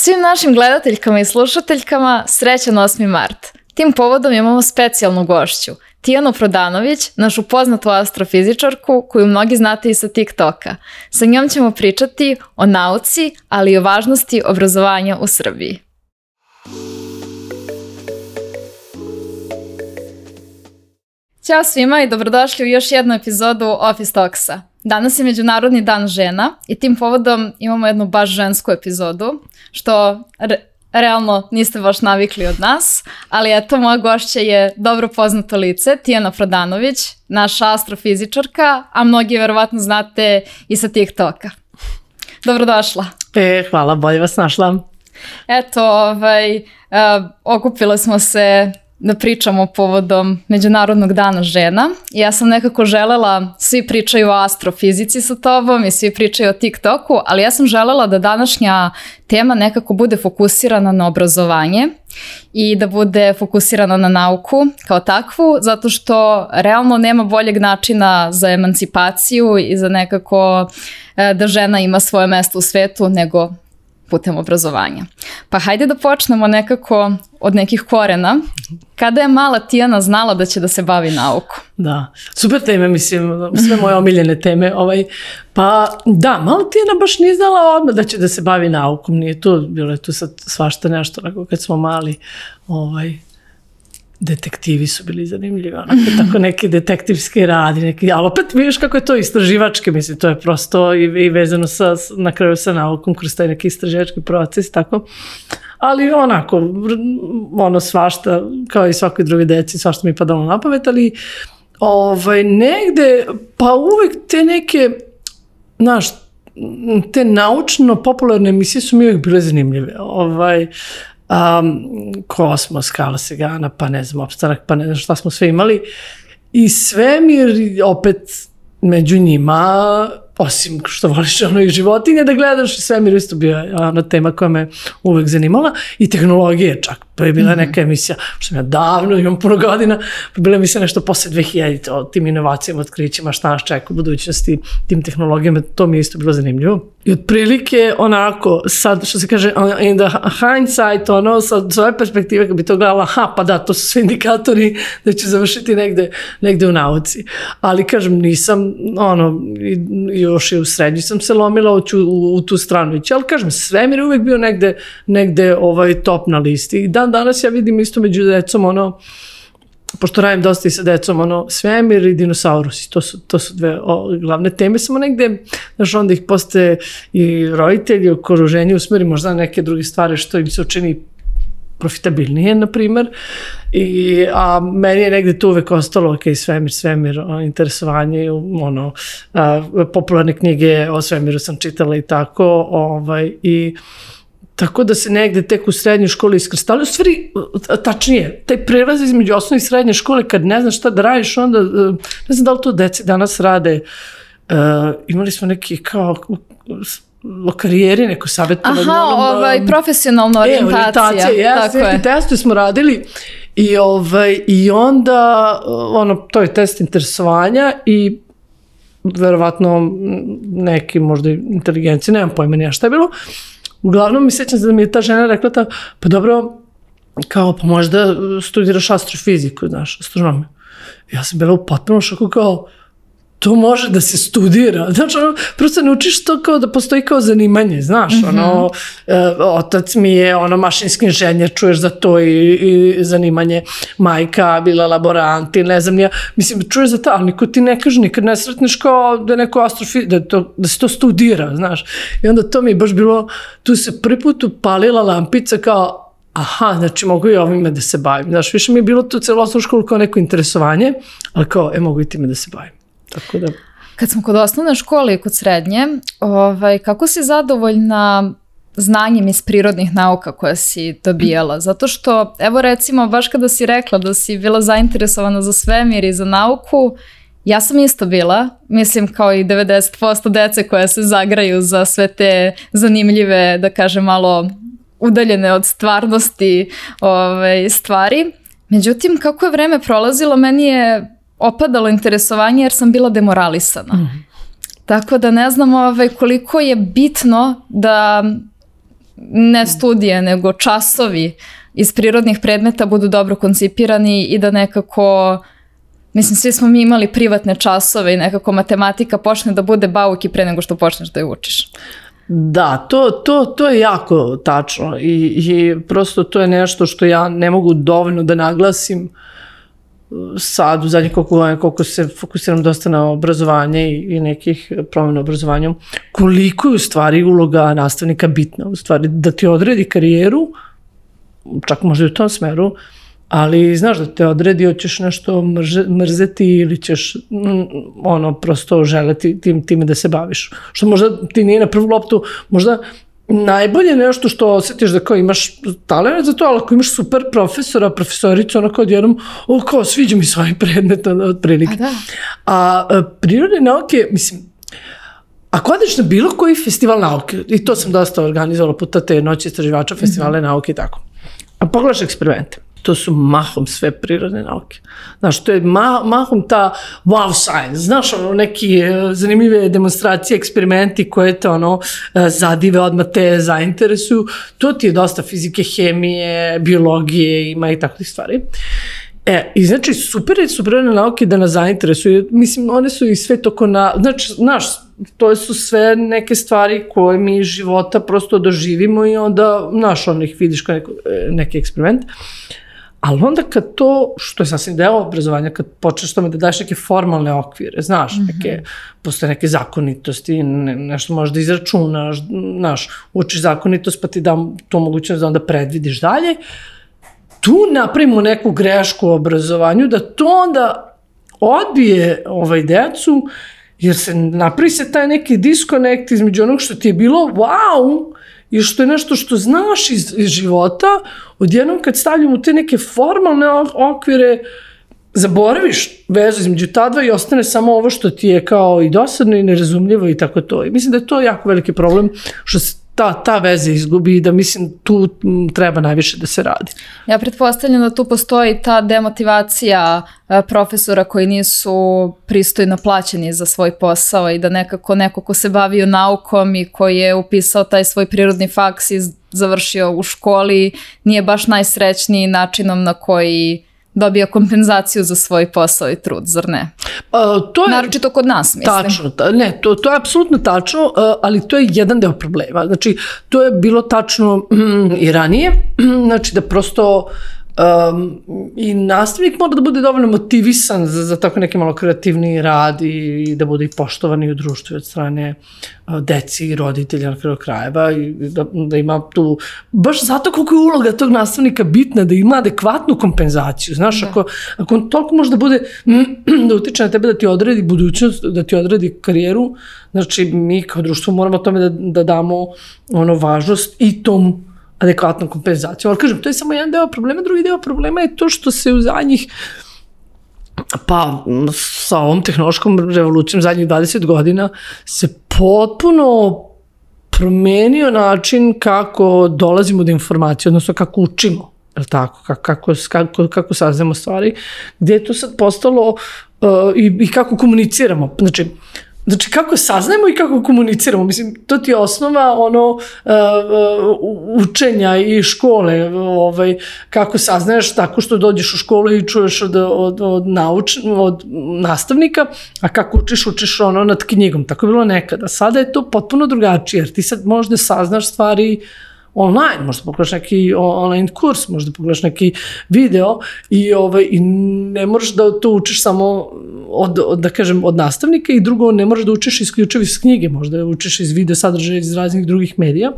Svim našim gledateljkama i slušateljkama srećan 8. mart. Tim povodom imamo specijalnu gošću, Tijanu Prodanović, našu poznatu astrofizičarku koju mnogi znate i sa TikToka. Sa njom ćemo pričati o nauci, ali i o važnosti obrazovanja u Srbiji. Ćao svima i dobrodošli u još jednu epizodu Office Talksa. Danas je Međunarodni dan žena i tim povodom imamo jednu baš žensku epizodu, što realno niste baš navikli od nas, ali eto, moja gošća je dobro poznato lice, Tijana Prodanović, naša astrofizičarka, a mnogi verovatno znate i sa TikToka. Dobrodošla. Hvala, bolje vas našla. Eto, okupile smo se da pričamo povodom Međunarodnog dana žena. Ja sam nekako želela, svi pričaju o astrofizici sa tobom i svi pričaju o TikToku, ali ja sam želela da današnja tema nekako bude fokusirana na obrazovanje i da bude fokusirana na nauku kao takvu, zato što realno nema boljeg načina za emancipaciju i za nekako da žena ima svoje mesto u svetu nego putem obrazovanja. Pa hajde da počnemo nekako od nekih korena. Kada je mala Tijana znala da će da se bavi naukom? Da, super teme, mislim, sve moje omiljene teme. Pa da, mala Tijana baš nije znala odmah da će da se bavi naukom. Nije tu, bilo je tu sad svašta nešto, onako kad smo mali, detektivi su bili zanimljivi, tako neki detektivski radi, ali opet vidiš kako je to istraživački, mislim, to je prosto i vezano na kraju sa naukom kroz taj neki istraživački proces, tako. Ali onako, svašta, kao i svakoj druge deci, svašta mi je padalo na pamet, ali negde, pa uvek te neke, znaš, te naučno-popularne emisije su mi uvek bile zanimljive, Kosmos, Kala Segana, pa ne znam, Opstanak, pa ne znam šta smo sve imali. I svemir, opet među njima, osim što voliš i životinje da gledaš, i svemir isto bio tema koja me uvek zanimala. I tehnologije čak. To je bila neka emisija, što sam ja davno, imam puno godina, pa bila emisija nešto posle 2000 o tim inovacijama, otkrićima, šta nas čeka u budućnosti, tim tehnologijama, to mi je isto bilo zanimljivo. I otprilike onako, sad što se kaže, in the hindsight, sad s ove perspektive, kad bi to gledala, pa da, to su sve indikatori da će završiti negde u nauci. Ali kažem, nisam, još i u srednji sam se lomila u tu stranu ići, ali kažem, svemir je uvek bio negde top na listi. I danas ja vidim isto među decom, pošto radim dosta i sa decom, svemir i dinosaurusi, to su dve glavne teme, samo negde, znaš, onda ih postaje i roditelji, okruženje usmeri možda neke druge stvari što im se učini profitabilnije, na primer, a meni je negde tu uvek ostalo, svemir, interesovanje, popularne knjige o svemiru sam čitala i tako, i tako da se negde tek u srednjoj školi iskristali. U stvari, tačnije, taj prelaz između osnovne i srednje škole, kad ne znaš šta da radiš, onda, ne znam da li to deci danas rade, imali smo neki kao o karijeri, neko savjetovanje. Profesionalna orijentacija. Neki testovi smo radili i onda, to je test interesovanja i verovatno neki možda inteligencije, nemam pojma nija šta je bilo. Uglavnom mi sećam se da mi je ta žena rekla pa dobro, kao pa možda studiraš astrofiziku, znaš, astronomiju. Ja sam bila u potpunom šoku kao, to može da se studira. Znači, prosto ne učiš to kao da postoji kao zanimanje, znaš, otac mi je mašinski inženjer, čuješ za to i zanimanje, majka bila laborant i ne znam, mislim, čuješ za to, ali niko ti ne kaže, nikad ne sretneš kao da je neko da se to studira, znaš. I onda to mi je baš bilo, tu se prvi put upalila lampica kao, znači mogu i ovime da se bavim. Znaš, više mi je bilo tu celo osnovnu školu kao neko interesovanje, ali kao, mogu i time da se bavim. Tako da. Kad smo kod osnovne škole i kod srednje, kako si zadovoljna znanjem iz prirodnih nauka koje si dobijala? Zato što, evo recimo, baš kada si rekla da si bila zainteresovana za svemir i za nauku, ja sam isto bila, mislim kao i 90% dece koje se zagraju za sve te zanimljive, da kažem malo udaljene od stvarnosti stvari. Međutim, kako je vreme prolazilo, meni je opadalo interesovanje jer sam bila demoralisana. Tako da ne znam koliko je bitno da ne studije, nego časovi iz prirodnih predmeta budu dobro koncipirani i da nekako, mislim, svi smo mi imali privatne časove i nekako matematika počne da bude bauk i pre nego što počneš da je učiš. Da, to je jako tačno i prosto to je nešto što ja ne mogu dovoljno da naglasim sad u zadnjih koliko se fokusiram dosta na obrazovanje i nekih promjena u obrazovanju, koliko je u stvari uloga nastavnika bitna, u stvari da ti odredi karijeru, čak možda i u tom smeru, ali znaš da te odredi, hoćeš nešto mrzeti ili ćeš prosto želeti time da se baviš. Što možda ti nije na prvu loptu, možda najbolje nešto što osjetiš da kao imaš talent za to, ali ako imaš super profesora, profesoricu, ono kao odjednom, kao sviđa mi svoj predmet od prilike. A prirodne nauke, mislim, ako odeš na bilo koji festival nauke, i to sam dosta organizovala puta te noći istraživača, festivale nauke i tako, a pogledaš eksperimente, to su mahom sve prirodne nauke. Znaš, to je mahom ta wow science. Znaš, neki zanimljive demonstracije, eksperimenti koje te zadive, odmah te zainteresuju. To ti je dosta fizike, hemije, biologije, ima i takvih stvari. I znači, super su prirodne nauke da nas zainteresuju. Mislim, one su i sve toko znači, znaš, to su sve neke stvari koje mi iz života prosto doživimo i onda, znaš, ih vidiš kao neki eksperiment. Ali onda kad to, što je sasvim deo obrazovanja, kad počneš tome da daješ neke formalne okvire, znaš, postoje neke zakonitosti, nešto možeš da izračunaš, znaš, učiš zakonitost pa ti dam to mogućnost da onda predvidiš dalje, tu napravimo neku grešku u obrazovanju, da to onda odbije decu, jer se napravi se taj neki diskonekt između onog što ti je bilo wow, i što je nešto što znaš iz života, odjednom kad stavljamo te neke formalne okvire, zaboraviš vezu između ta dva i ostane samo ovo što ti je kao i dosadno i nerazumljivo i tako to. I mislim da je to jako veliki problem što se ta veza izgubi i da mislim tu treba najviše da se radi. Ja pretpostavljam da tu postoji ta demotivacija profesora koji nisu pristojno plaćeni za svoj posao i da nekako neko ko se bavio naukom i koji je upisao taj svoj prirodni faks i završio u školi nije baš najsrećniji načinom na koji dobija kompenzaciju za svoj posao i trud, zar ne? Naročito kod nas, mislim. Tačno, to je apsolutno tačno, ali to je jedan deo problema. Znači, to je bilo tačno i ranije, znači da prosto i nastavnik mora da bude dovoljno motivisan za tako neki malo kreativni rad i da bude i poštovan i u društvu od strane deci i roditelja na kraju krajeva i da ima tu, baš zato koliko je uloga tog nastavnika bitna, da ima adekvatnu kompenzaciju. Znaš, ako on toliko može da bude, da utiče na tebe da ti odredi budućnost, da ti odredi karijeru, znači mi kao društvo moramo tome da damo važnost i tom adekvatnom kompenzacijom. Ali kažem, to je samo jedan deo problema, drugi deo problema je to što se u zadnjih, pa sa ovom tehnološkom revolucijom zadnjih 20 godina se potpuno promenio način kako dolazimo do informacije, odnosno kako učimo, je li tako, kako saznamo stvari, gdje je to sad postalo i kako komuniciramo. Znači, kako saznajemo i kako komuniciramo. Mislim, to ti je osnova učenja i škole. Kako saznaješ tako što dođeš u školu i čuješ od nastavnika, a kako učiš nad knjigom. Tako je bilo nekada. Sada je to potpuno drugačije, jer ti sad možda saznaš stvari online, možda pogledaš neki online kurs, možda pogledaš neki video i ne moraš da to učiš samo od nastavnika i drugo ne moraš da učiš isključivo iz knjige, možda učiš iz video sadržaja iz raznih drugih medija.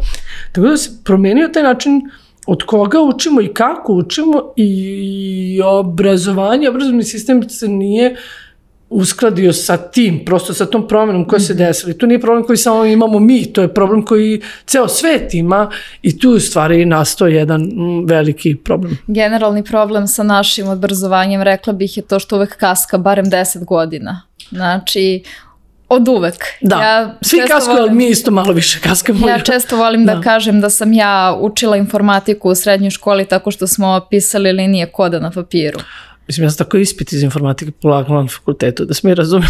Tako da se promenio taj način od koga učimo i kako učimo i obrazovni sistem se nije uskladio sa tim, prosto sa tom promjenom koja se desila. To nije problem koji samo imamo mi, to je problem koji ceo svet ima i tu u stvari nastao jedan veliki problem. Generalni problem sa našim obrazovanjem, rekla bih, je to što uvek kaska barem 10 godina. Znači, od uvek. Da, svi kaskaju, ali mi isto malo više kaskamo. Ja često volim da kažem da sam ja učila informatiku u srednjoj školi tako što smo pisali linije koda na papiru. Mislim, ja sam tako ispit iz informatike polagala na fakultetu, da se mi razumije.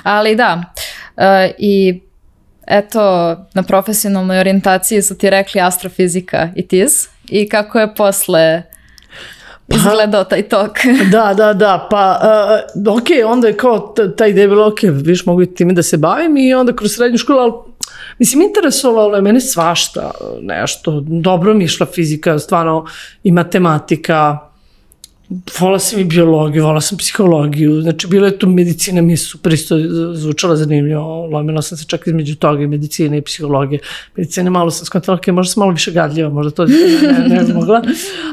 Ali da, i eto, na profesionalnoj orijentaciji su ti rekli astrofizika i TIS i kako je posle izgledao taj tok. Da, pa ok, onda je kao ta ideja bila, ok, viš mogu i time da se bavim i onda kroz srednju školu, ali mislim, interesovalo je mene svašta nešto, dobro mi išla fizika, stvarno i matematika, volala sam i biologiju, volala sam psihologiju, znači bila je tu medicina, mi je super isto zvučala zanimljivo, lomila sam se čak između toga i medicine i psihologije. Medicine malo sam skontala, možda sam malo više gadljiva, možda to ne mogla,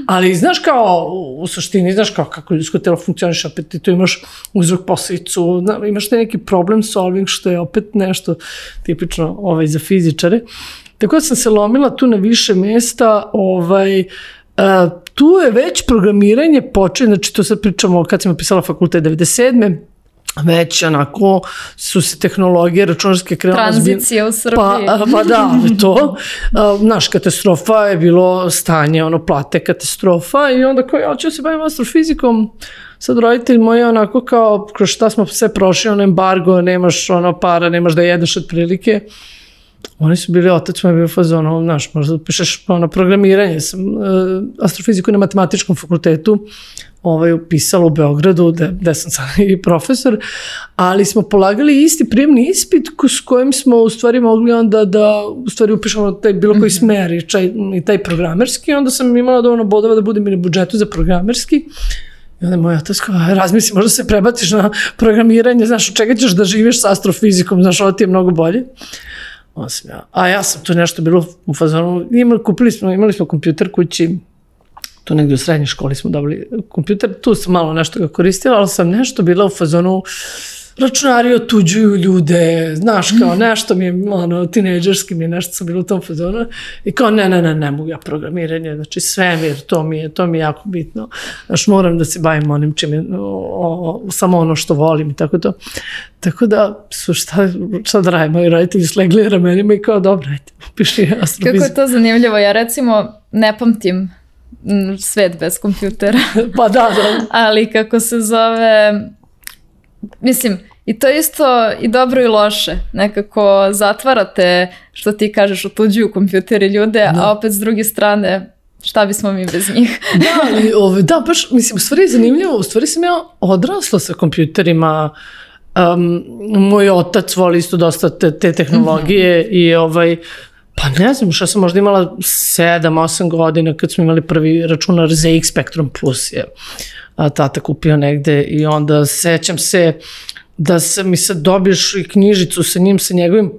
ali znaš kao, u suštini, znaš kao kako ljudsko telo funkcioniš, opet ti tu imaš uzrok posledicu, imaš te neki problem solving, što je opet nešto tipično za fizičare. Tako da sam se lomila tu na više mesta, tu je već programiranje počeo, znači to sad pričamo kad sam upisala fakultet 97. Već onako su se tehnologije računarske krenule. Tranzicija u Srbiji. Pa da, to. Naš katastrofa je bilo stanje, plate katastrofa i onda kao ja ću se bavim astrofizikom. Sad roditelji moji onako kao kroz šta smo sve prošli, embargo, nemaš para, nemaš da jedeš od prilike. Oni su bili, otac mu je bio fazon, znaš, možda upišeš programiranje. Sam astrofiziku na matematičkom fakultetu upisala u Beogradu, gde sam sad i profesor, ali smo polagali isti prijemni ispit s kojim smo u stvari mogli onda da u stvari upišemo taj bilo koji smer i taj programerski. Onda sam imala dovoljno bodova da budem i na budžetu za programerski. I onda moj otac kao, razmisli, možda se prebaciš na programiranje, znaš, od čega ćeš da živiš sa astrofizikom, znaš, ovo ti je mnogo bolje. A ja sam tu nešto bilo u fazonu, imali smo kompjuter kući, tu negdje u srednjoj školi smo dobili kompjuter, tu sam malo nešto ga koristila, ali sam nešto bila u fazonu, računari otuđuju ljude, znaš, kao nešto mi je, tinejdžerski mi je nešto sam bila u tom fazonu i kao ne mogu ja programiranje, znači svemir, to mi je jako bitno, znaš, moram da se bavim onim čim je, samo ono što volim i tako to. Tako da su šta da radim, moji roditelji slegli ramenima i kao dobro, ajte, piši astrofiziku. Kako je to zanimljivo, ja recimo ne pamtim svet bez kompjutera. Pa da. Ali kako se zove, mislim, i to isto i dobro i loše. Nekako zatvarate, što ti kažeš, otuđuju kompjuteri ljude, a opet s druge strane, šta bismo mi bez njih? Da, baš, mislim, u stvari je zanimljivo, u stvari sam ja odrasla sa kompjuterima, moj otac voli isto dosta te tehnologije i pa ne znam, što sam možda imala 7-8 godina kad smo imali prvi računar ZX Spectrum Plus je tata kupio negde i onda sećam se da mi sad dobiješ i knjižicu sa njim, sa njegovim,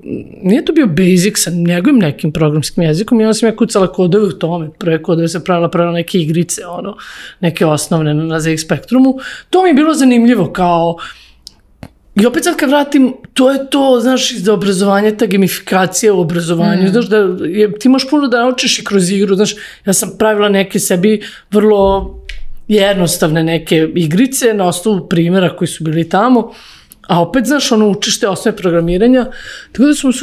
nije to bio Basic, sa njegovim nekim programskim jezikom i onda sam ja kucala kodove u tome, prve kodove sam pravila neke igrice, neke osnovne na ZX Spectrumu. To mi je bilo zanimljivo kao. I opet sad kad vratim, to je to, znaš, iz obrazovanja, ta gamifikacija u obrazovanju, znaš, ti možeš puno da naučiš i kroz igru, znaš, ja sam pravila neke sebi vrlo jednostavne neke igrice na osnovu primjera koji su bili tamo, a opet, znaš, učiš te osnove programiranja, tako da sam u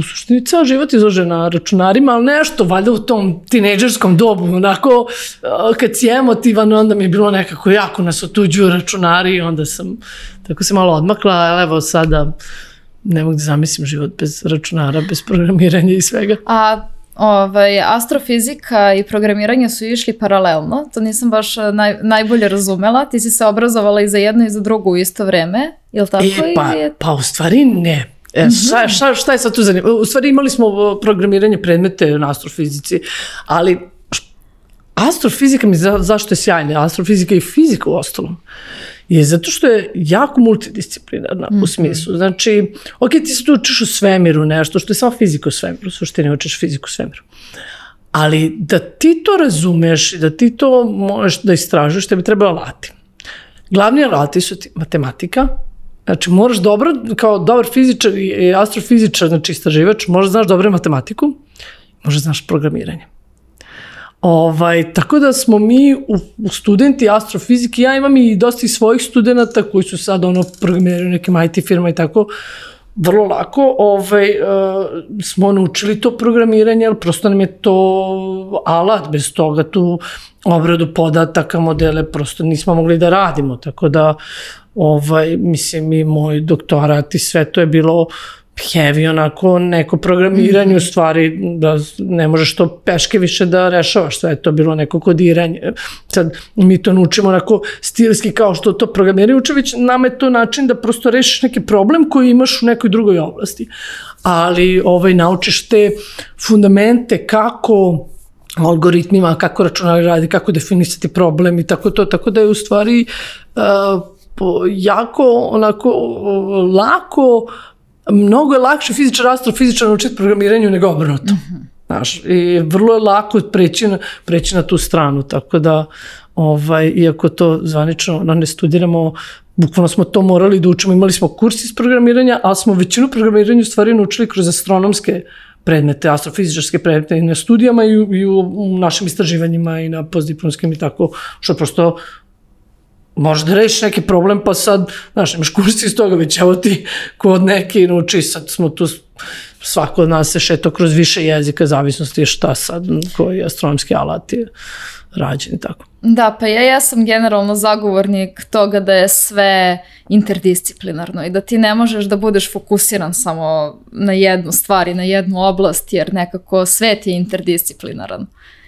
suštini ceo život izložen na računarima, ali nešto, valjda u tom tinejdžerskom dobu, onako, kad si emotivan, onda mi je bilo nekako jako nas otuđuju računari i onda tako se malo odmakla, ali evo sada ne mogu da zamislim život bez računara, bez programiranja i svega. A astrofizika i programiranje su išli paralelno, to nisam baš najbolje razumela, ti si se obrazovala i za jedno i za drugo u isto vreme, je li tako? Pa u stvari ne. Šta je sad tu zanimljivo? U stvari imali smo programiranje predmete na astrofizici, ali astrofizika mi zašto je sjajna, astrofizika i fizika u ostalom, je zato što je jako multidisciplinarna u smislu. Znači, ok, ti se tu učiš u svemiru nešto, što je samo fizika u svemiru, u suštini učiš fiziku u svemiru. Ali da ti to razumeš i da ti to možeš da istražuješ, tebi treba alati. Glavni alati su ti matematika, znači moraš dobro, kao dobar fizičar i astrofizičar, znači istraživač, možeš znaš dobro matematiku, možeš znaš programiranje. Tako da smo mi u studenti astrofizike, ja imam i dosta i svojih studenta koji su sad programiraju nekim IT firma i tako, vrlo lako smo naučili to programiranje, ali prosto nam je to alat, bez toga tu obradu podataka, modele, prosto nismo mogli da radimo, tako da mislim i moj doktorat i sve to je bilo heavy onako neko programiranje u stvari, da ne možeš to peške više da rešavaš, sve je to bilo neko kodiranje. Sad mi to naučimo onako stilski kao što to programiraju uče, već nama je to način da prosto rešiš neki problem koji imaš u nekoj drugoj oblasti. Ali naučiš te fundamente kako algoritmima, kako računari radi, kako definisati problem i tako to, tako da je u stvari jako onako lako, mnogo je lakše fizičar, astrofizičar naučiti programiranju nego obrnuto. Znaš, i vrlo je lako preći na tu stranu, tako da iako to zvanično ne studiramo, bukvalno smo to morali da učimo, imali smo kurs iz programiranja, ali smo većinu programiranja u stvari naučili kroz astronomske predmete, astrofizičarske predmete i na studijama i u našim istraživanjima i na postdiplomskim i tako, što prosto možeš da rešiš neki problem, pa sad, znaš, imaš kurs iz toga, već evo ti kod neke nauči, sad smo tu, svako od nas se šeto kroz više jezika, zavisnosti je šta sad, koji astronomski alat je rađen i tako. Da, pa ja sam generalno zagovornik toga da je sve interdisciplinarno i da ti ne možeš da budeš fokusiran samo na jednu stvar i na jednu oblast, jer nekako svet je interdisciplinaran.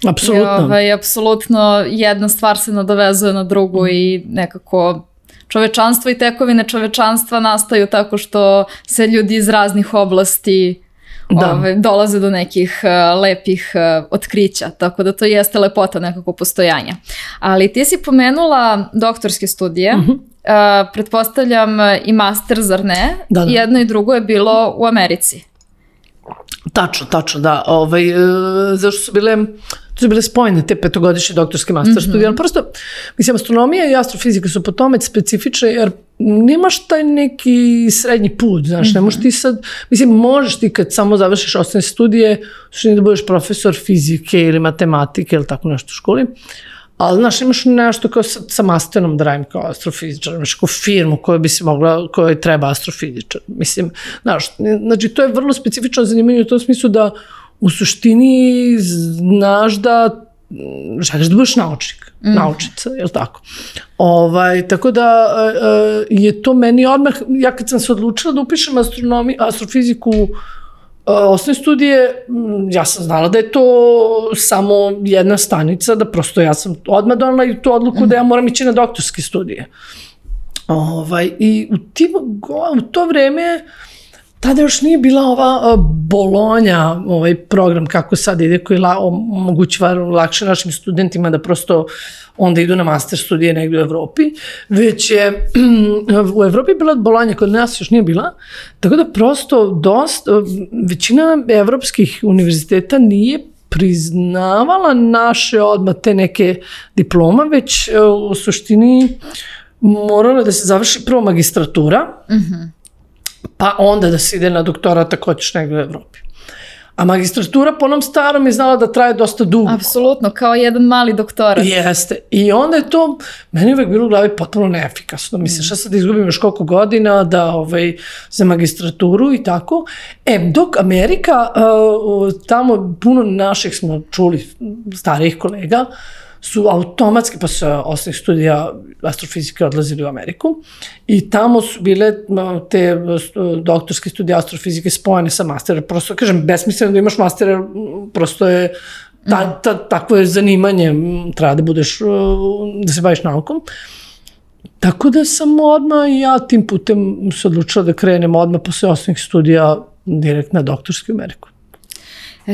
Apsolutno. Apsolutno jedna stvar se nadovezuje na drugu i nekako čovečanstvo i tekovine čovečanstva nastaju tako što se ljudi iz raznih oblasti dolaze do nekih lepih otkrića, tako da to jeste lepota nekako postojanja. Ali ti si pomenula doktorske studije, pretpostavljam i master, zar ne? Da. Jedno i drugo je bilo u Americi. Tačno, da. Zašto su bile spojene te petogodišnje doktorske master studije, ali prosto, mislim, astronomija i astrofizika su po tome specifične, jer nemaš taj neki srednji put, znaš, ne možeš ti sad, mislim, možeš ti kad samo završiš osnovne studije, da budeš profesor fizike ili matematike ili tako nešto u školi, ali, znaš, imaš nešto kao sa masterom da radim kao astrofizičar, imaš kao firmu kojoj treba astrofizičar, mislim, znaš, znači, to je vrlo specifično zanimanje u tom smislu da u suštini znaš da želiš da budeš naučnica, je li tako? Tako da je to meni odmah, ja kad sam se odlučila da upišem astrofiziku osnovne studije, ja sam znala da je to samo jedna stanica, da prosto ja sam odmah donala i tu odluku da ja moram ići na doktorske studije. I u to vreme tada još nije bila ova Bolonja, ovaj program kako sad ide, koji omogućava lakše našim studentima da prosto onda idu na master studije negdje u Evropi, već je u Evropi bila Bolonja, kod nas još nije bila, tako da prosto većina evropskih univerziteta nije priznavala naše odmah te neke diploma, već u suštini morala da se završi prvo magistratura, pa onda da se ide na doktorat ako hoćeš negdje u Evropi. A magistratura po onom starom je znala da traje dosta dugo. Apsolutno, kao jedan mali doktorat. Jeste. I onda je to, meni uvek bilo u glavi potpuno neefikasno. Misliš, ja sad izgubim još koliko godina za magistraturu i tako. Dok Amerika, tamo puno naših smo čuli, starijih kolega, su automatski posle osnovnih studija astrofizike odlazili u Ameriku i tamo su bile te doktorske studije astrofizike spojene sa masterom. Prosto, kažem, besmisleno da imaš master, prosto je takvo je zanimanje, treba da budeš, da se baviš naukom. Tako da sam odmah i ja tim putem se odlučila da krenem odmah posle osnovnih studija direkt na doktorski u Ameriku.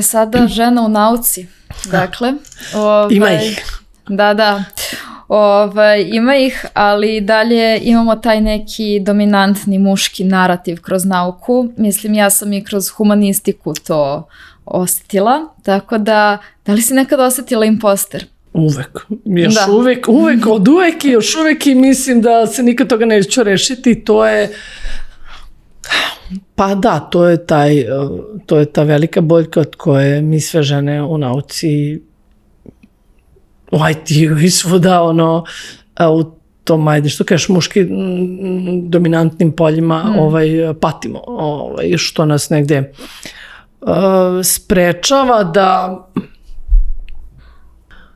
Sada žena u nauci, dakle. Ima ih. Da. Ima ih, ali dalje imamo taj neki dominantni muški narativ kroz nauku. Mislim, ja sam i kroz humanistiku to osjetila, tako da li si nekad osjetila imposter? Uvek. Od uvek i još uvek i mislim da se nikad toga neću rešiti. To je, pa da, to je ta velika boljka od koje mi sve žene u nauci, u IT-u i svuda, u tom, ajde, što kažeš, muški dominantnim poljima patimo, što nas negde sprečava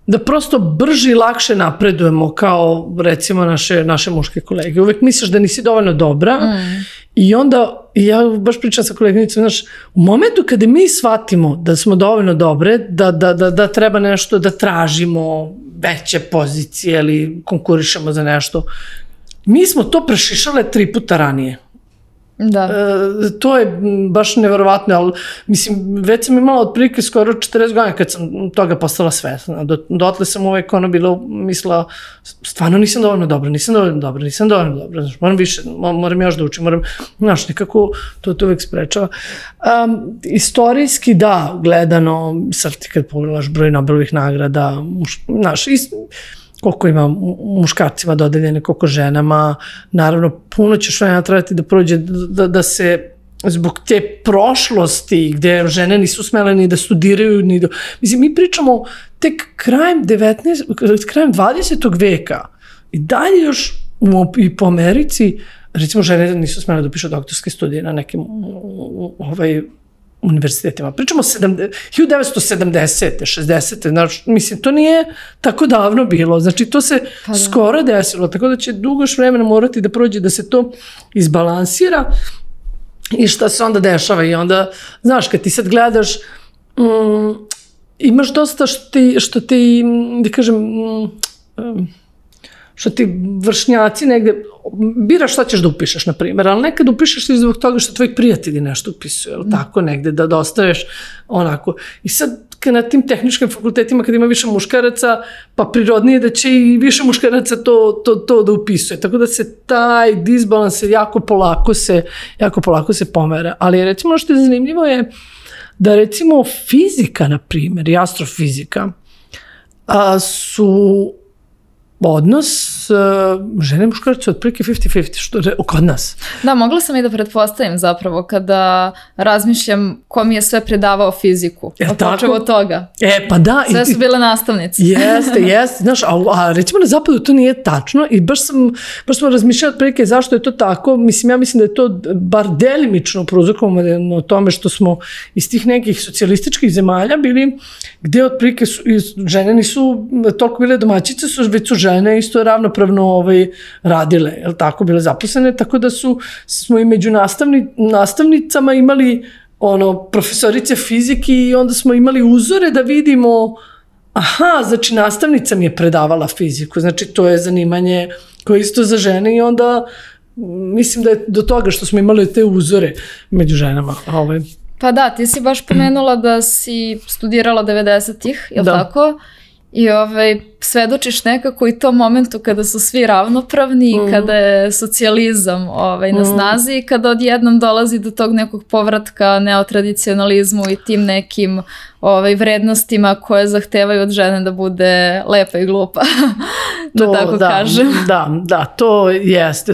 da prosto brže i lakše napredujemo kao, recimo, naše muške kolege. Uvek misliš da nisi dovoljno dobra I onda, ja baš pričam sa koleginicom, znaš, u momentu kada mi shvatimo da smo dovoljno dobre, da treba nešto da tražimo veće pozicije ili konkurišemo za nešto, mi smo to prešišale 3 puta ranije. Da. To je baš neverovatno, ali mislim, već sam imala otprilike skoro 40 godina kad sam toga postala svesna. Dotle sam uvek bilo mislila, stvarno nisam dovoljno dobra, znaš, moram više, moram još da učim, znaš, nekako to uvek sprečava. Istorijski, da, gledano, sad ti kad pogledaš broj Nobelovih nagrada, znaš, koliko ima muškarcima dodeljene, koliko ženama, naravno puno ćeš vremena trebati da prođe da se zbog te prošlosti gde žene nisu smele ni da studiraju, mislim, mi pričamo tek krajem 20. veka i dalje još i po Americi, recimo žene nisu smele da upišu doktorske studije na nekim univerzitetima. Pričamo 1970. 60. Znači, mislim, to nije tako davno bilo. Znači, to se skoro desilo, tako da će dugo još vremena morati da prođe da se to izbalansira i šta se onda dešava. I onda, znaš, kad ti sad gledaš, imaš dosta što ti, da kažem, što ti vršnjaci negde, biraš šta ćeš da upišeš, na primjer, ali nekad upišeš i zbog toga što tvoji prijatelji nešto upisuju, ili tako negde, da ostaveš onako. I sad, na tim tehničkim fakultetima, kad ima više muškaraca, pa prirodnije da će i više muškaraca to da upisuje. Tako da se taj disbalans jako polako se pomera. Ali recimo što je zanimljivo je da recimo fizika, na primjer, i astrofizika, su odnos žene i muškarca otprilike 50-50, što je kod nas. Da, mogla sam i da pretpostavim zapravo kada razmišljam ko mi je sve predavao fiziku. Počeo od toga. Pa da. Sve su bile nastavnice. Jeste. Znaš, a recimo na zapadu to nije tačno i baš smo razmišljali otprilike zašto je to tako. Mislim, ja mislim da je to bar delimično prouzrokovano o tome što smo iz tih nekih socijalističkih zemalja bili, gde otprilike žene nisu toliko bile domaćice, već su žene isto ravnopravno radile, jel tako, bile zaposlene, tako da smo i među nastavnicama imali profesorice fizike i onda smo imali uzore da vidimo, znači nastavnica mi je predavala fiziku, znači to je zanimanje koje je isto za žene i onda mislim da je do toga što smo imali te uzore među ženama. Pa da, ti si baš pomenula da si studirala 90-ih, je li tako? I svedočiš nekako i tom momentu kada su svi ravnopravni i kada je socijalizam na snazi i kada odjednom dolazi do tog nekog povratka neotradicionalizmu i tim nekim vrednostima koje zahtevaju od žene da bude lepa i glupa, da tako kažem. Da, to jeste,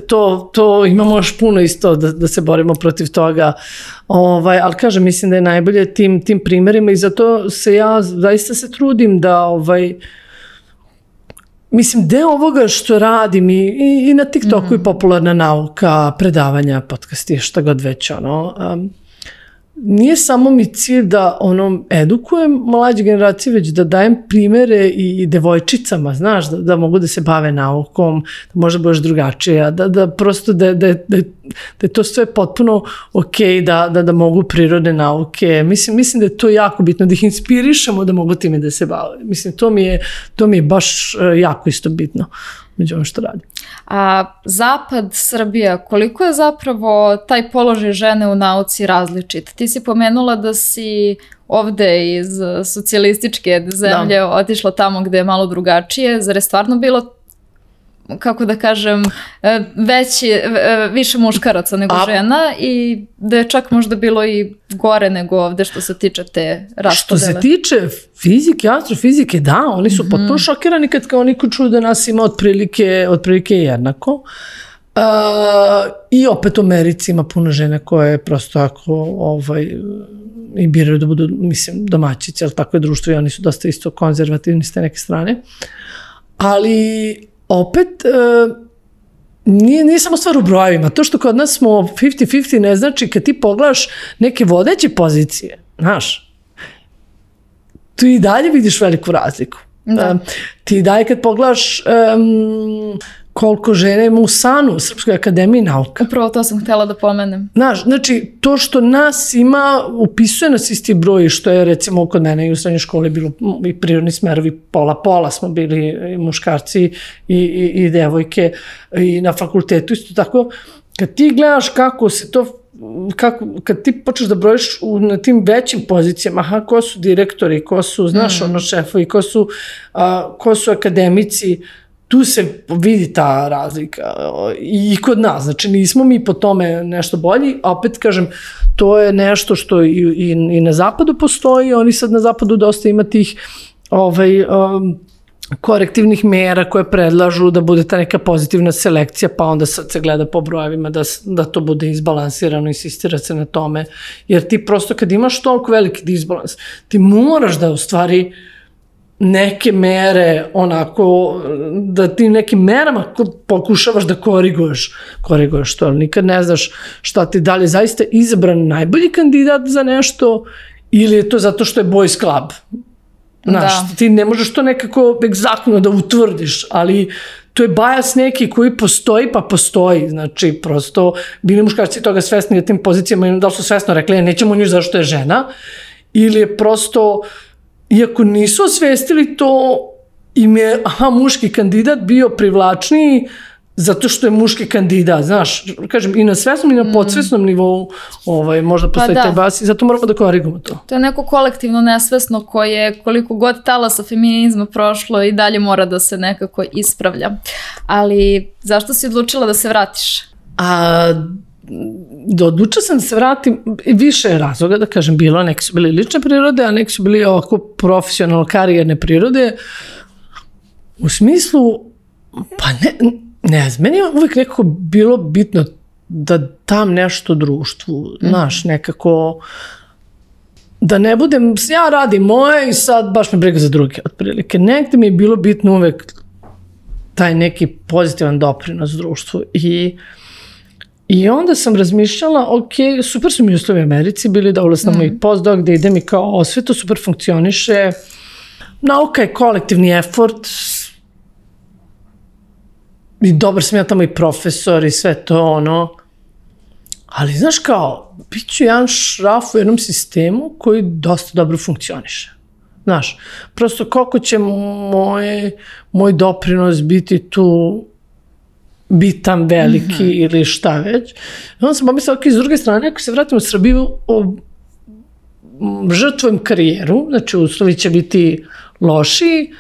to imamo još puno isto da se borimo protiv toga, ali kažem, mislim da je najbolje tim primerima i zato se ja zaista se trudim da mislim, deo ovoga što radim i na TikToku i popularna nauka, predavanja, podcasti, šta god već, nije samo mi cilj da edukujem mlađe generacije, već da dajem primere i devojčicama, znaš, da mogu da se bave naukom, da možda budeš drugačija, da prosto da je to sve potpuno okej, da mogu prirodne nauke. Mislim da je to jako bitno, da ih inspirišemo da mogu time da se bave. Mislim, to mi je baš jako isto bitno među ono što radim. A Zapad, Srbija, koliko je zapravo taj položaj žene u nauci različit? Ti si pomenula da si ovde iz socijalističke zemlje otišla tamo gde je malo drugačije. Zar je stvarno bilo, kako da kažem, više muškaraca nego žena i da je čak možda bilo i gore nego ovde što se tiče te raspodele? Što se tiče fizike, astrofizike, da, oni su potpuno šokirani kad oni čuju da nas ima otprilike jednako. I opet u Americi ima puno žena koje prosto i biraju da budu, mislim, domaćice, ali tako je društvo i oni su dosta isto konzervativni s te neke strane. Ali opet, nije samo stvar u brojevima. To što kod nas smo 50-50 ne znači kad ti pogledaš neke vodeće pozicije, znaš, tu i dalje vidiš veliku razliku. Ti i dalje kad pogledaš koliko žena ima u SANU, u Srpskoj akademiji nauka. Upravo to sam htjela da pomenem. Znaš, znači, to što nas ima, upisuje nas isti broj, što je recimo kod mene i u srednjoj školi bilo i prirodni smerovi, pola smo bili i muškarci i devojke, i na fakultetu isto tako. Kad ti gledaš kako se to, kad ti počneš da brojiš na tim većim pozicijama, ko su direktori, ko su, znaš, šefovi, ko su akademici, tu se vidi ta razlika i kod nas, znači nismo mi po tome nešto bolji, a opet kažem, to je nešto što i na zapadu postoji, oni sad na zapadu dosta ima tih korektivnih mera koje predlažu da bude ta neka pozitivna selekcija, pa onda sad se gleda po brojevima da to bude izbalansirano, insistira se na tome, jer ti prosto kad imaš toliko veliki disbalans, ti moraš da u stvari neke mere, onako, da ti nekim merama pokušavaš da koriguješ to, ali nikad ne znaš šta ti dalje zaista izabran najbolji kandidat za nešto ili je to zato što je boys club. Znaš, ti ne možeš to nekako egzaktno da utvrdiš, ali to je bias neki koji postoji, pa postoji. Znači, prosto, bili muškarci toga svesni na tim pozicijama i da li su svesno rekli, nećemo nju zašto je žena, ili je prosto, iako nisu osvestili to, im je, muški kandidat bio privlačniji zato što je muški kandidat, znaš, kažem, i na svesnom i na podsvesnom nivou možda postoji taj bas i zato moramo da korigujemo to. To je neko kolektivno nesvesno koje koliko god talasa feminizma prošlo i dalje mora da se nekako ispravlja. Ali zašto si odlučila da se vratiš? Odlučila sam da se vratim, više razloga, da kažem, bilo, neki su bili lične prirode, a neki su bili ovako profesionalno karijerne prirode, u smislu, pa ne znam, meni je uvijek nekako bilo bitno da dam nešto društvu, znaš, nekako, da ne budem, ja radim moje i sad baš me briga za druge, otprilike. Negde mi je bilo bitno uvijek taj neki pozitivan doprinos društvu i onda sam razmišljala, ok, super su mi uslovi u Americi bili, da ulazim i postdoc, gde idem i kao, sve to super funkcioniše, nauka je kolektivni effort, i dobar sam ja tamo i profesor i sve to, ali znaš kao, bit ću jedan šraf u jednom sistemu koji dosta dobro funkcioniše. Znaš, prosto koliko će moj doprinos biti tu bitan, veliki ili šta već. I onda sam pomislila, s druge strane, ako se vratim u Srbiju, žrtvujem karijeru, znači uslovi će biti lošiji,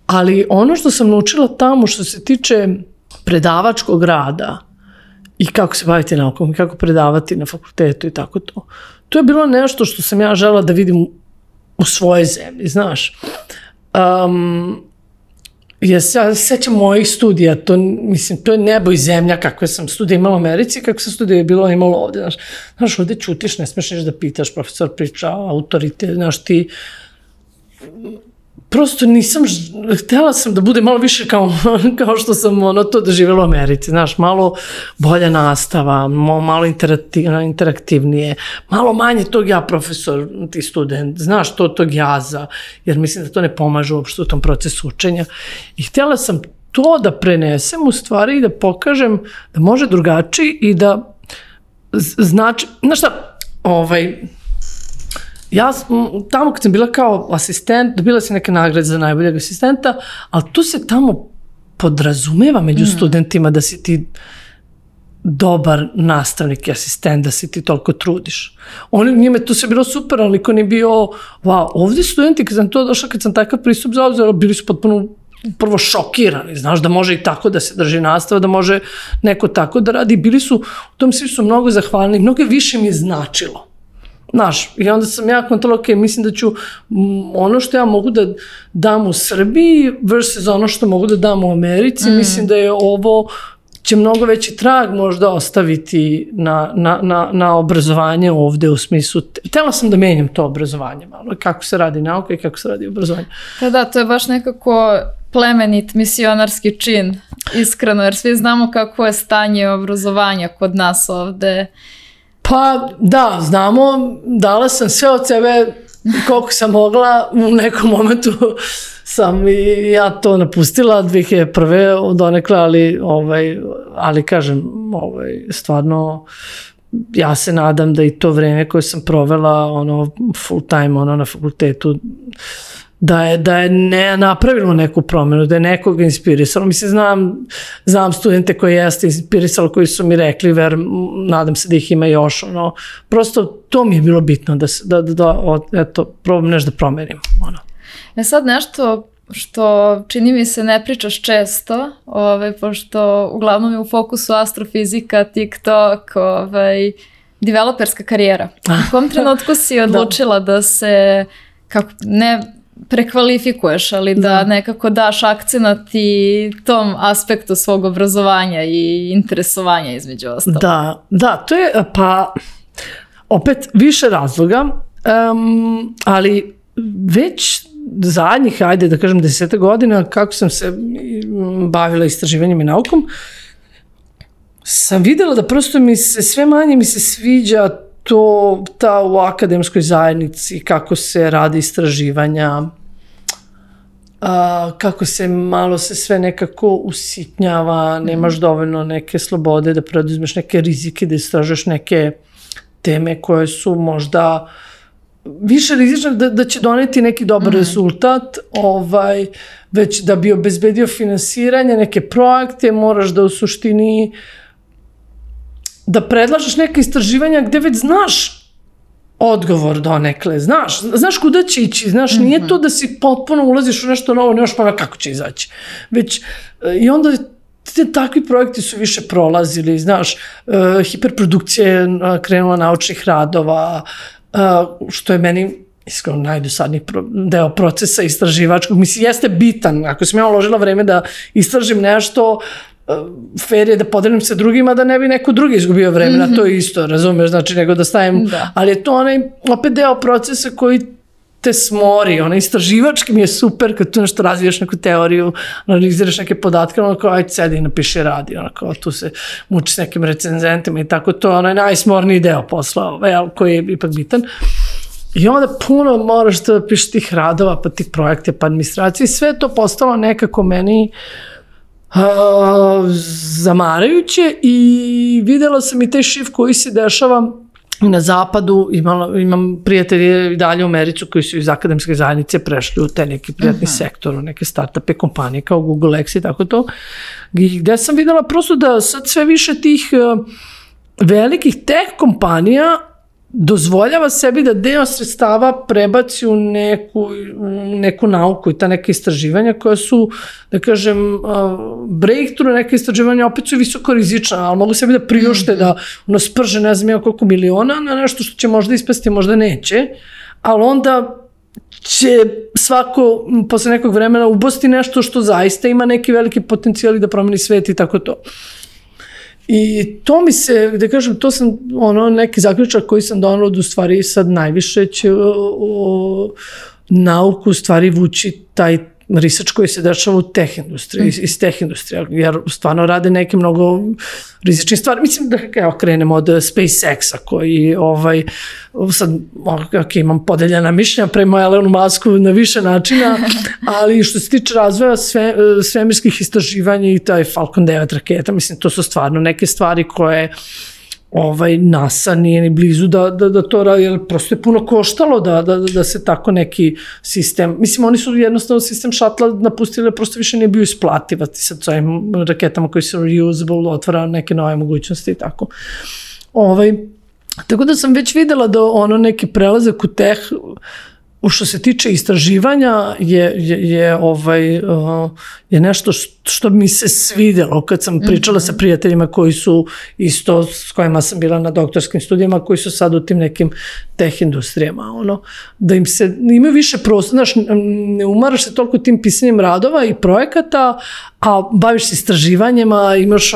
ali ono što sam naučila tamo što se tiče predavačkog rada i kako se baviti naukom i kako predavati na fakultetu i tako to, to je bilo nešto što sam ja želela da vidim u svojoj zemlji, znaš. Ja se sećam mojih studija, to je nebo i zemlja kakve sam studija imala u Americi, kako sam studija bilo imalo ovde, znaš, ovde ćutiš, ne smeš ništa da pitaš, profesor priča, autoritet, znaš, ti prosto nisam, htjela sam da bude malo više kao što sam to doživjela u Americi, znaš, malo bolja nastava, malo interaktivnije, malo manje tog ja profesor, ti student, znaš, tog jaza, jer mislim da to ne pomaže uopšte u tom procesu učenja. I htjela sam to da prenesem u stvari i da pokažem da može drugačiji i da znači, znaš šta, ja tamo kad sam bila kao asistent, dobila sam neke nagrade za najboljeg asistenta, ali tu se tamo podrazumeva među studentima da si ti dobar nastavnik i asistent, da se ti toliko trudiš. Njime to sve bilo super, ali niko nije bio, wow, ovdje studenti, kad sam to došla, kad sam takav pristup zauzela, bili su potpuno prvo šokirani, znaš, da može i tako da se drži nastava, da može neko tako da radi. Bili su, u tom svi su mnogo zahvalni, mnogo više mi je značilo. Znaš, i onda sam ja kontrola, ok, mislim da ću ono što ja mogu da dam u Srbiji versus ono što mogu da dam u Americi, mislim da je ovo će mnogo veći trag možda ostaviti na obrazovanje ovde u smislu, htjela sam da menjam to obrazovanje malo, kako se radi nauka i kako se radi obrazovanje. Da, to je baš nekako plemenit misionarski čin, iskreno, jer svi znamo kako je stanje obrazovanja kod nas ovde. Pa da, znamo, dala sam sve od sebe koliko sam mogla, u nekom momentu sam i ja to napustila 2001. donekle, ali kažem, stvarno ja se nadam da i to vreme koje sam provela full time na fakultetu da je ne napravilo neku promenu, da je nekoga inspirisalo. Mislim, znam studente koji jeste inspirisalo, koji su mi rekli, nadam se da ih ima još, prosto to mi je bilo bitno da probam nešto da promenim. Sad nešto što čini mi se ne pričaš često, pošto uglavnom je u fokusu astrofizika, TikTok, developerska karijera. U kom trenutku si odlučila da se, ne prekvalifikuješ, ali da nekako daš akcenat i tom aspektu svog obrazovanja i interesovanja između ostalog? Da, to je opet više razloga, ali već zadnjih, ajde da kažem 10 godina kako sam se bavila istraživanjem i naukom, sam videla da prosto sve manje se sviđa ta u akademskoj zajednici, kako se radi istraživanja, kako se malo se sve nekako usitnjava, nemaš dovoljno neke slobode da preduzmeš neke rizike, da istražuješ neke teme koje su možda više rizične da će doneti neki dobar rezultat, već da bi obezbedio finansiranje, neke projekte, moraš da u suštini da predlažeš neke istraživanja gde već znaš odgovor donekle, znaš kuda će ići, nije to da si potpuno ulaziš u nešto novo, nemaš pojma kako će izaći, već i onda takvi projekti su više prolazili, hiperprodukcija je krenula naučnih radova, što je meni iskreno najdosadniji deo procesa istraživačkog. Mislim, jeste bitan. Ako sam ja uložila vreme da istražim nešto, fair je da podelim sa drugima da ne bi neko drugi izgubio vreme na to isto, razumeš, nego da stavim, ali je to opet deo procesa koji te smori, istraživački mi je super kad tu nešto razvijaš neku teoriju, analiziraš neke podatke, ajde sedi i napiši radi, tu se muči s nekim recenzentima i tako, to je najsmorniji deo posla, koji je ipak bitan. I onda puno moraš da pišeš tih radova, pa tih projekte, pa administracije, sve to postalo nekako meni zamarajuće i videla sam i taj shift koji se dešava na zapadu. Imam prijatelje i dalje u Americu koji su iz akademske zajednice prešli u te neki prijatni sektor, u neke startupe kompanije kao Google X i tako to, gde sam videla prosto da sad sve više tih velikih tech kompanija dozvoljava sebi da deo sredstava prebaci u neku nauku i ta neka istraživanja koja su, da kažem, breakthrough, neka istraživanja opet su visoko rizična, ali mogu sebi da priušte da sprže ne znam koliko miliona na nešto što će možda ispasti, možda neće, ali onda će svako posle nekog vremena ubosti nešto što zaista ima neki veliki potencijal i da promeni svet i tako to. I to mi se, da kažem, to sam neki zaključak koji sam donela da u stvari sad najviše će nauku u stvari vući taj research koji se dešava u tech industriji, iz tech industrija, jer stvarno rade neke mnogo rizične stvari. Mislim da krenemo od SpaceX-a koji sad imam podeljena mišljenja prema Elonu Musku na više načina, ali što se tiče razvoja svemirskih istraživanja i taj Falcon 9 raketa, mislim to su stvarno neke stvari koje NASA nije ni blizu da to radi, jer prosto je puno koštalo da se tako neki sistem, mislim oni su jednostavno sistem šatla napustili, prosto više nije bio isplativati sad s ovim raketama koji su reusable, otvara neke nove mogućnosti i tako. Tako da sam već videla da neki prelazak u teh, što se tiče istraživanja je nešto što mi se svidelo kad sam pričala sa prijateljima koji su isto, s kojima sam bila na doktorskim studijama, koji su sad u tim nekim teh industrijama, da im se, imaju više prostora, ne umaraš se toliko tim pisanjem radova i projekata, a baviš se istraživanjima, imaš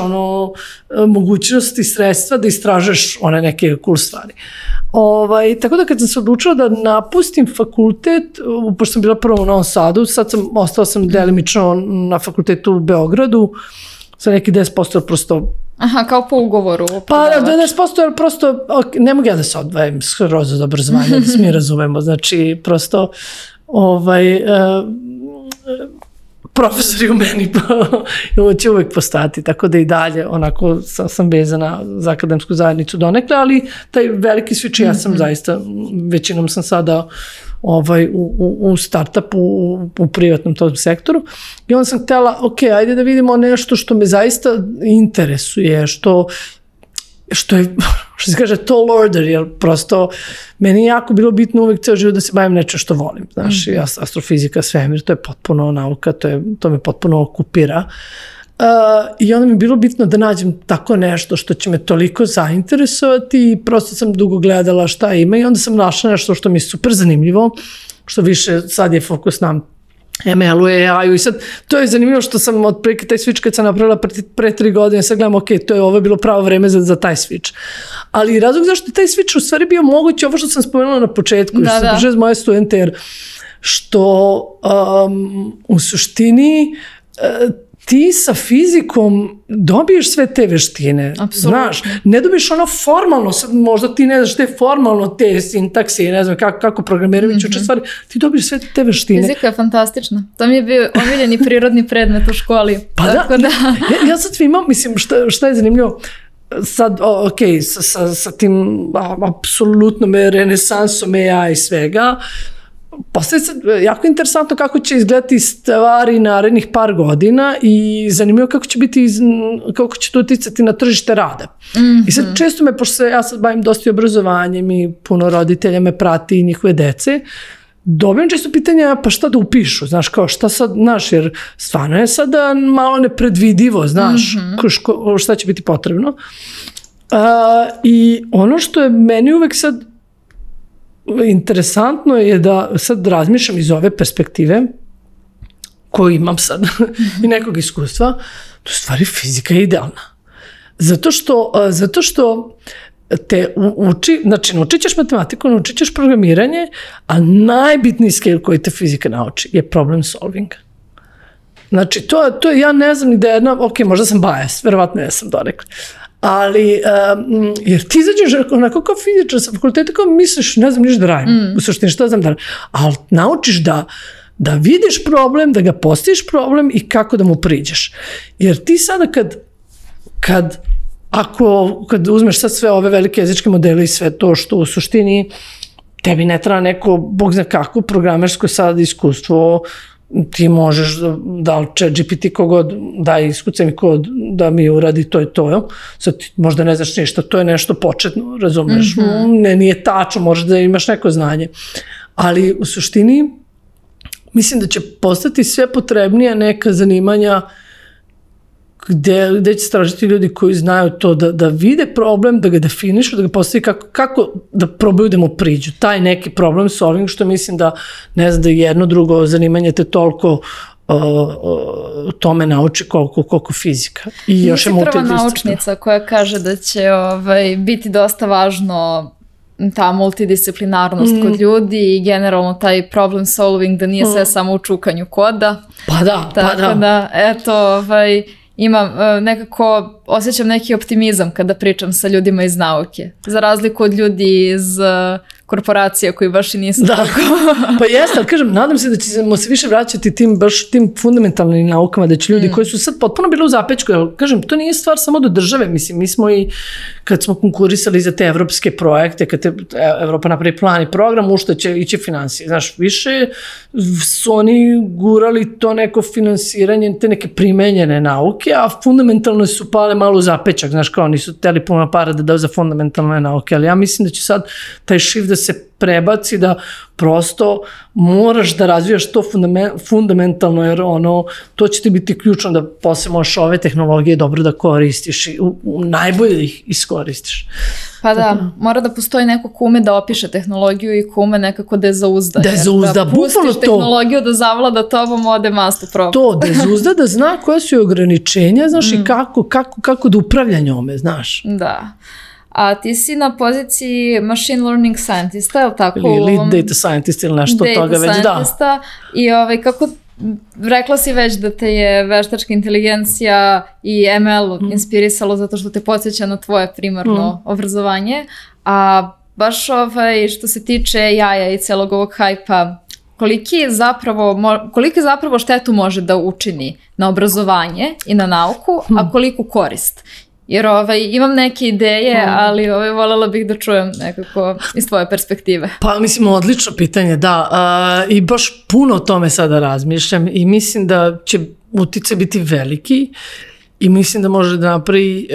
mogućnosti i sredstva da istražeš one neke cool stvari. Tako da kad sam se odlučila da napustim fakultet, pošto sam bila prvo u Novom Sadu, sad ostala sam delimično na fakultetu u Beogradu, sa neki 10% prosto Aha, kao po ugovoru. Pa 90%, jer prosto ne mogu ja da se odvajam skroz od obrazovanja, da se mi razumemo. Znači, prosto profesori u meni će uvek postati, tako da i dalje onako sam vezana za akademsku zajednicu donekle, ali taj veliki switch, ja sam zaista, većinom sam sada u startupu, u privatnom tom sektoru, i onda sam htjela, ok, ajde da vidimo nešto što me zaista interesuje, što je, što se kaže, tall order, jer prosto meni je jako bilo bitno uvek ceo život da se bavim nečem što volim, znaš, astrofizika, svemir, to je potpuno nauka, to me potpuno okupira. I onda mi je bilo bitno da nađem tako nešto što će me toliko zainteresovati i prosto sam dugo gledala šta ima i onda sam našla nešto što mi je super zanimljivo, što više sad je fokus na ML-u, AI-u i sad to je zanimljivo što sam otprilike taj switch kad sam napravila pre 3 godine, sad gledam, ok, ovo je bilo pravo vreme za taj switch. Ali razlog zašto je taj switch u stvari bio moguće, ovo što sam spomenula na početku, što sam držala moje studente, jer što u suštini ti sa fizikom dobiješ sve te veštine. Apsolutno. Znaš, ne dobiješ ono formalno, sad možda ti ne znaš te formalno, te sintakse, ne znam kako programiraju uče stvari, ti dobiješ sve te veštine. Fizika je fantastična. To mi je bio omiljeni prirodni predmet u školi. Pa da. Ja sad imam, mislim, šta je zanimljivo, sad, ok, sa tim apsolutnom renesansom AI i svega, postoje sad jako interesantno kako će izgledati stvari narednih par godina i zanimljivo kako će to uticati na tržište rada. I sad često me, pošto ja sad bavim dosta obrazovanjem i puno roditelja me prati i njihove dece, dobijam često pitanja, pa šta da upišu, znaš, kao šta sad, znaš, jer stvarno je sada malo nepredvidivo, znaš, šta će biti potrebno. I ono što je meni uvek sad interesantno je da sad razmišljam iz ove perspektive koju imam sad i nekog iskustva, to je stvari fizika je idealna. Zato što te uči, znači naučit ćeš matematiku, naučit ćeš programiranje, a najbitniji skill koji te fizika nauči je problem solving. Znači to je, ja ne znam ni da jedna, ok, možda sam bias, verovatno ja sam donekle, ali, jer ti izađeš onako kao fizičar sa fakulteta, kao misliš, ne znam niš da radim, u suštini šta znam da radim, ali naučiš da vidiš problem, da ga postaviš problem i kako da mu priđeš. Jer ti sada kad uzmeš sad sve ove velike jezičke modele i sve to što u suštini tebi ne treba neko, bog zna kako, programersko sad iskustvo, ti možeš da li ChatGPT kogod daj iskucaj mi kod da mi uradi to i to. Sad ti možda ne znaš ništa, to je nešto početno, razumeš? Nije tačno, možeš da imaš neko znanje. Ali u suštini mislim da će postati sve potrebnija neka zanimanja gde će tražiti ljudi koji znaju to da vide problem, da ga definišu, da ga postavi kako da probaju da mu priđu. Taj neki problem solving, što mislim da ne znam da jedno drugo zanimanje te toliko tome nauči koliko fizika. I još je multidisciplina. Nisi prva naučnica koja kaže da će biti dosta važno ta multidisciplinarnost kod ljudi i generalno taj problem solving, da nije sve samo u čukanju koda. Pa da. Tako da, eto, imam nekako, osjećam neki optimizam kada pričam sa ljudima iz nauke. Za razliku od ljudi iz korporacija koji baš i nisu tako. Pa jeste, ali kažem, nadam se da ćemo se više vraćati tim fundamentalnim naukama, da će ljudi koji su sad potpuno bili u zapečku, jer kažem, to nije stvar samo do države, mislim, mi smo i kad smo konkurisali za te evropske projekte, kad Evropa napravi plan i program, u što će ići finansije. Znaš, više su oni gurali to neko finansiranje, te neke primenjene nauke, a fundamentalno su pale malo u zapečak, znaš, kao nisu hteli puno para da daju za fundamentalne nauke, ali ja mislim da će sad taj shift da se prebaci, da prosto moraš da razvijaš to fundamentalno, jer to će ti biti ključno da posle možeš ove tehnologije dobro da koristiš i najbolje da ih iskoristiš. Pa da, mora da postoji neko ko ume da opiše tehnologiju i ko ume nekako da je zauzda. Da je zauzda, bukvalno to. Pustiš tehnologiju da zavlada tobom, ode mastu problem. To, da je zauzda, da zna koje su ograničenja, znaš, i kako da upravlja njome, znaš. Da. A ti si na poziciji machine learning scientista, je li tako? Ili lead data scientist ili nešto od toga već, da. I kako rekla si već da te je veštačka inteligencija i ML inspirisalo zato što te podsjeća na tvoje primarno obrazovanje, a baš što se tiče AI-a i celog ovog hajpa, koliki zapravo štetu može da učini na obrazovanje i na nauku, a koliku korist? Jer imam neke ideje, ali voljela bih da čujem nekako iz tvoje perspektive. Pa mislim, odlično pitanje, da. I baš puno o tome sada razmišljam i mislim da će uticaj biti veliki i mislim da može da napravi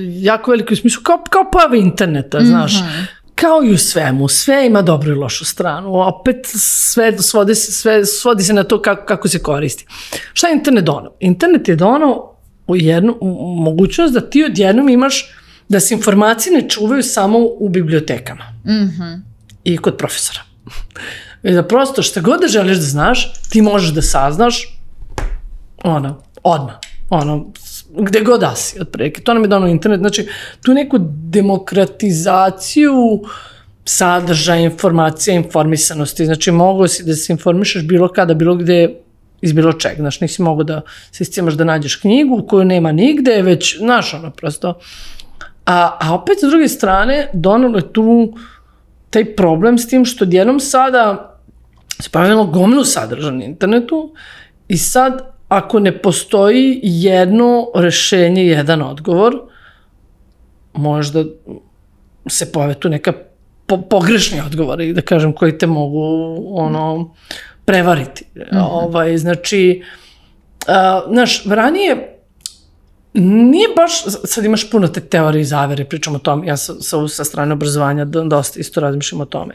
jako veliko smislu, kao pojava interneta, znaš. Kao i u svemu, sve ima dobru i lošu stranu, opet sve svodi se na to kako se koristi. Šta je internet donao? Internet je donao jednu mogućnost da ti odjednom imaš da se informacije ne čuvaju samo u bibliotekama i kod profesora. I da prosto šta god da želiš da znaš, ti možeš da saznaš odmah. Gde god da si, otprilike. To nam je donao internet. Znači, tu neku demokratizaciju sadržaja, informacija, informisanosti. Znači, mogao si da se informišeš bilo kada, bilo gde, iz bilo čega. Znaš, nisi mogao da se iscimaš da nađeš knjigu koju nema nigde, već, znaš, prosto. A opet, s druge strane, donalo je tu taj problem s tim što odjednom sada se pojavilo gomilu sadržaja na internetu i sad ako ne postoji jedno rešenje, jedan odgovor, možda se pojave tu neka pogrešni odgovori, da kažem, koji te mogu prevariti. Znači, znaš, ranije nije baš, sad imaš puno te teorije i zavere, pričam o tome, ja sa strane obrazovanja dosta isto razmišljam o tome.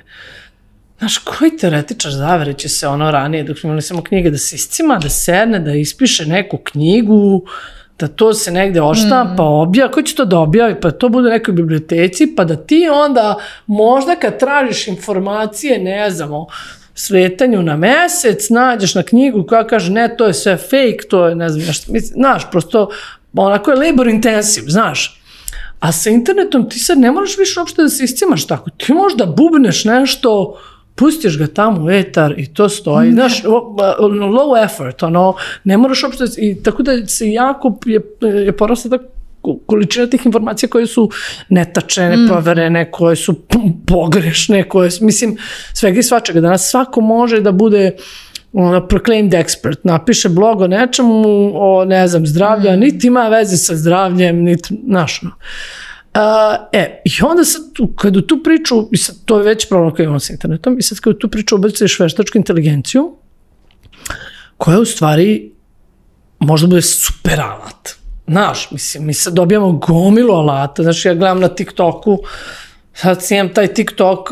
Znaš, koji teoretičar zavere će se ranije, dok smo imali samo knjige, da se iscima, da sedne, da ispiše neku knjigu, da to se negde oštampa, objavi, ko će to da objavi, pa to bude u nekoj biblioteci, pa da ti onda možda kad tražiš informacije, ne znamo, svetanju na mesec, nađeš na knjigu koja kaže ne, to je sve fake, to je ne znam, znaš, prosto onako je labor intensive, znaš. A sa internetom ti sad ne moraš više uopšte da se iscimaš tako, ti možda bubneš nešto, pustiš ga tamo u etar i to stoji, znaš, low effort, ne moraš uopšte, i tako da se jako je porasla ta količina tih informacija koje su netačne, neproverene, koje su pogrešne, koje, mislim, svega i svačega. Danas svako može da bude proclaimed expert, napiše blog o nečemu, o, ne znam, zdravlju, niti ima veze sa zdravljem, niti, znaš, i onda sad, kada u tu priču, i sad to je već problem koji imamo sa internetom, i sad kada u tu priču ubaciš veštačku inteligenciju, koja u stvari možda bude super alat. Znaš, mislim, mi sad dobijamo gomilu alata, znači ja gledam na TikToku, sad snimam taj TikTok,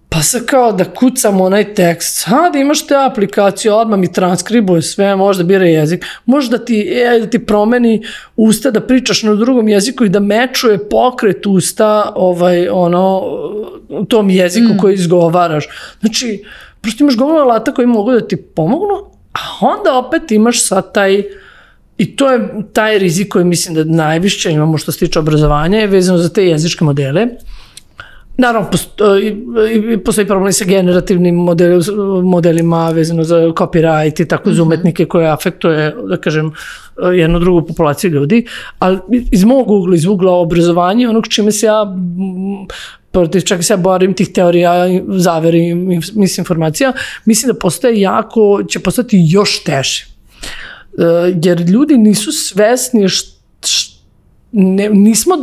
pa sad kao da kucam onaj tekst, sad imaš te aplikacije, odmah mi transkribuje sve, možda bira jezik, možda da ti promeni usta, da pričaš na drugom jeziku i da mečuje pokret usta u tom jeziku koji izgovaraš. Znači, prosto imaš gomilu alata koji mogu da ti pomognu, a onda opet imaš sad i to je taj rizik koji mislim da najviše imamo što se tiče obrazovanja je vezano za te jezičke modele. Naravno, postoji problem sa generativnim modelima vezano za copyright i tako za umetnike koje afektuje, da kažem, jednu drugu populaciju ljudi, ali iz mog ugla, iz ugla obrazovanja, onog čime se čak i se ja borim tih teorija, zaveri, misinformacija, mislim da će postati još teže. Jer ljudi nisu svesni,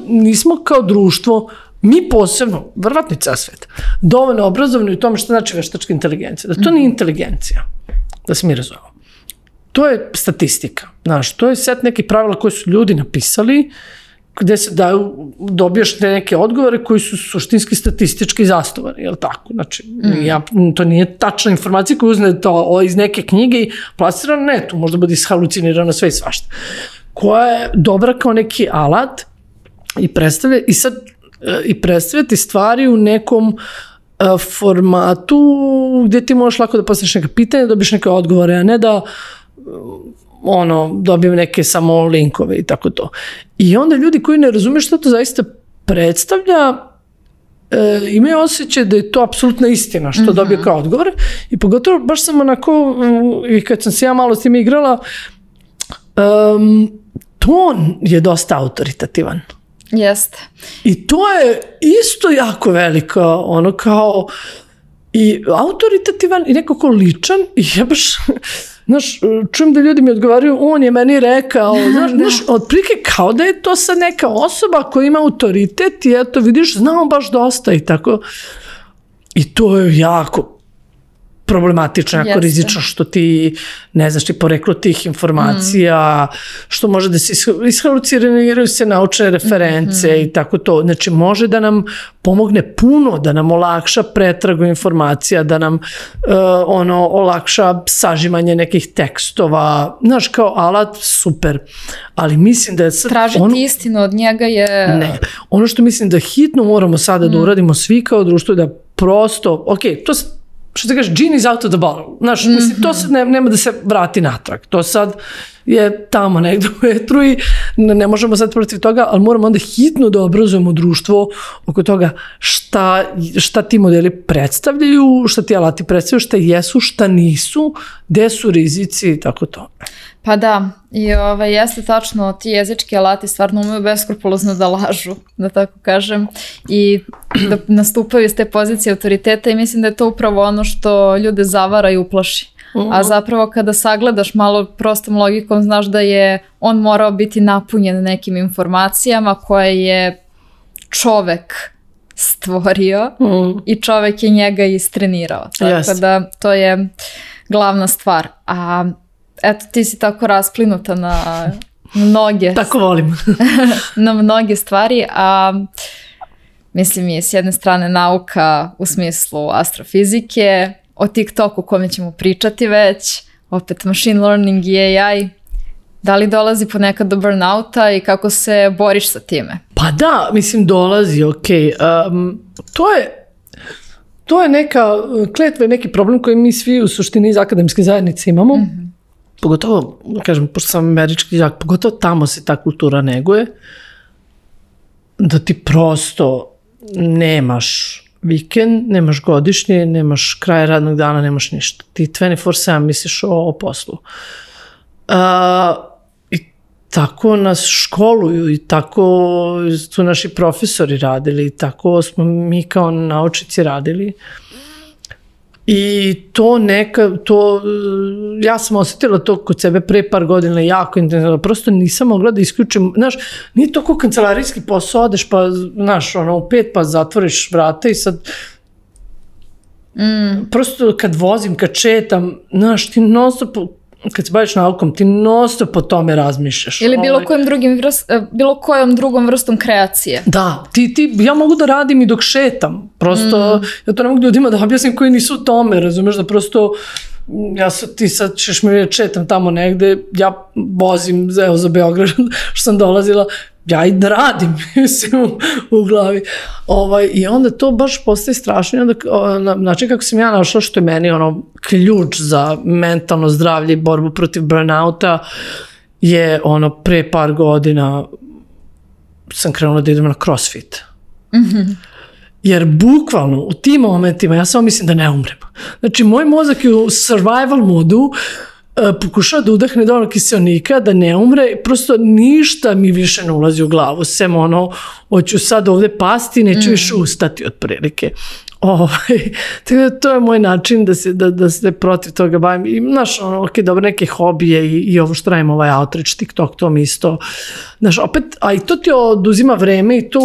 nismo kao društvo, mi posebno, verovatno i ceo svet, dovoljno obrazovani u tome što znači veštačka inteligencija. Da to nije inteligencija, da se mi razumemo. To je statistika, znaš, to je set nekih pravila koje su ljudi napisali, gde se dobijaš neke odgovore koji su suštinski statistički zasnovani, je li tako? Znači, to nije tačna informacija koju uzne to iz neke knjige i plasira na netu, možda bude ishalucinirano sve i svašta. Koja je dobra kao neki alat i predstavljati stvari u nekom formatu gde ti možeš lako da postaviš neka pitanja, dobiš neke odgovore, a ne da dobijem neke samo linkove i tako to. I onda ljudi koji ne razumiju što to zaista predstavlja, imaju osjećaj da je to apsolutna istina što dobije kao odgovor i pogotovo baš sam onako, i kad sam se ja malo s tim igrala, ton je dosta autoritativan. Jeste. I to je isto jako veliko, ono kao i autoritativan i nekako ličan i ja baš, znaš, čujem da ljudi mi odgovaraju, on je meni rekao, znaš, otprilike kao da je to sad neka osoba koja ima autoritet i eto vidiš, znamo baš dosta i tako. I to je jako problematično, jako rizično što ti ne znaš ti poreklo tih informacija, što može da se ishaluciniraju se naučne reference i tako to. Znači može da nam pomogne puno, da nam olakša pretragu informacija, da nam olakša sažimanje nekih tekstova. Znaš, kao alat, super. Ali mislim da je sad... Tražiti istinu od njega je... Ne. Ono što mislim da hitno moramo sada da uradimo svi kao društvo, da prosto, ok, to što se kaže, genie is out of the bottle. Znaš, mislim, to sad nema da se vrati natrag. To sad je tamo negdje u etru i ne možemo sad protiv toga, ali moramo onda hitno da obrazujemo društvo oko toga šta ti modeli predstavljaju, šta ti alati predstavljaju, šta jesu, šta nisu, gde su rizici i tako to. Pa da, i jeste tačno, ti jezički alati stvarno umeju beskrupulozno da lažu, da tako kažem, i da nastupaju iz te pozicije autoriteta i mislim da je to upravo ono što ljude zavara i uplaši. A zapravo kada sagledaš malo prostom logikom, znaš da je on morao biti napunjen nekim informacijama koje je čovek stvorio i čovek je njega istrenirao. Tako da to je glavna stvar. A eto, ti si tako rasplinuta na mnoge... Tako volim. na mnoge stvari, a mislim je s jedne strane nauka u smislu astrofizike, o TikToku kome ćemo pričati već, opet machine learning i AI. Da li dolazi ponekad do burnouta i kako se boriš sa time? Pa da, mislim dolazi, ok. To je neka kletva i neki problem koji mi svi u suštini iz akademske zajednice imamo. Pogotovo, kažem, pošto sam američki đak, pogotovo tamo se ta kultura neguje, da ti prosto nemaš vikend, nemaš godišnje, nemaš kraj radnog dana, nemaš ništa. Ti 24/7 misliš o poslu. I tako nas školuju i tako su naši profesori radili i tako smo mi kao naučnici radili. I ja sam osjetila to kod sebe pre par godina jako intenzivno, prosto nisam mogla da isključim, znaš, nije to kao kancelarijski posao, odeš pa, znaš, u 5 pa zatvoriš vrata i sad prosto kad vozim, kad četam, znaš, ti non-stop, kad se baviš naukom, ti non-stop po tome razmišljaš. Ili bilo kojom drugom vrstom kreacije. Da, ja mogu da radim i dok šetam. Prosto, ja to ne mogu ljudima da objasnim koji nisu u tome, razumeš, da prosto ti sad ćeš mi reći šetam tamo negde, ja vozim za Beograd što sam dolazila, ja i da radim, mislim, u glavi. I onda to baš postaje strašno. Znači, kako sam ja našla što je meni ključ za mentalno zdravlje i borbu protiv burnouta je pre par godina sam krenula da idem na CrossFit. Jer bukvalno u tim momentima ja samo mislim da ne umrem. Znači, moj mozak je u survival modu, pokušava da udahne dovoljno kiseonika, da ne umre, prosto ništa mi više ne ulazi u glavu, sem hoću sad ovde pasti, neću više ustati otprilike. Tako da to je moj način da se protiv toga bavim. I znaš, dobro, neke hobije i ovo što radim, outreach, TikTok, to mi isto. Znaš, opet, a i to ti oduzima vreme i to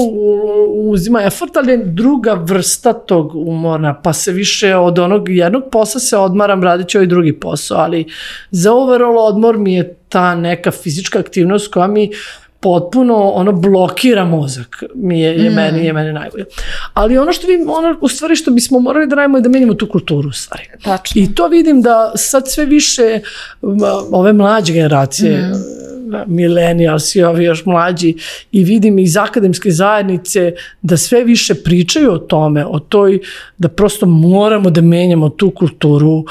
uzima effort, ali je druga vrsta tog umora, pa se više od onog jednog posla se odmaram, radit ću ovaj drugi posao, ali za overall odmor mi je ta neka fizička aktivnost koja mi potpuno blokira mozak, je meni najbolje. Ali ono u stvari što bismo morali da radimo je da menjamo tu kulturu u stvari. Tačno. I to vidim da sad sve više ove mlađe generacije, millennials i ovi još mlađi, i vidim iz akademske zajednice da sve više pričaju o tome, o toj, da prosto moramo da menjamo tu kulturu.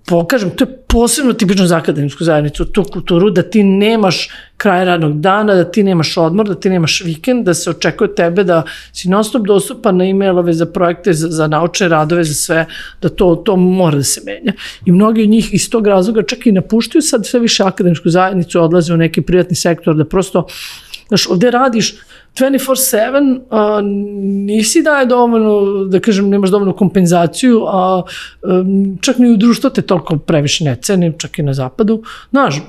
Pokažem, to je posebno tipično za akademsku zajednicu, tu kulturu da ti nemaš kraj radnog dana, da ti nemaš odmor, da ti nemaš vikend, da se očekuje od tebe da si non stop dostupan na e-mailove za projekte, za naučne radove, za sve, da to mora da se menja. I mnogi od njih iz tog razloga čak i napuštaju sad sve više akademsku zajednicu, odlaze u neki privatni sektor, da prosto, znaš, ovde radiš 24/7, nisi daje dovoljno, da kažem, nemaš dovoljnu kompenzaciju, a čak ni u društvu te toliko previše ne ceni, čak i na zapadu, znaš,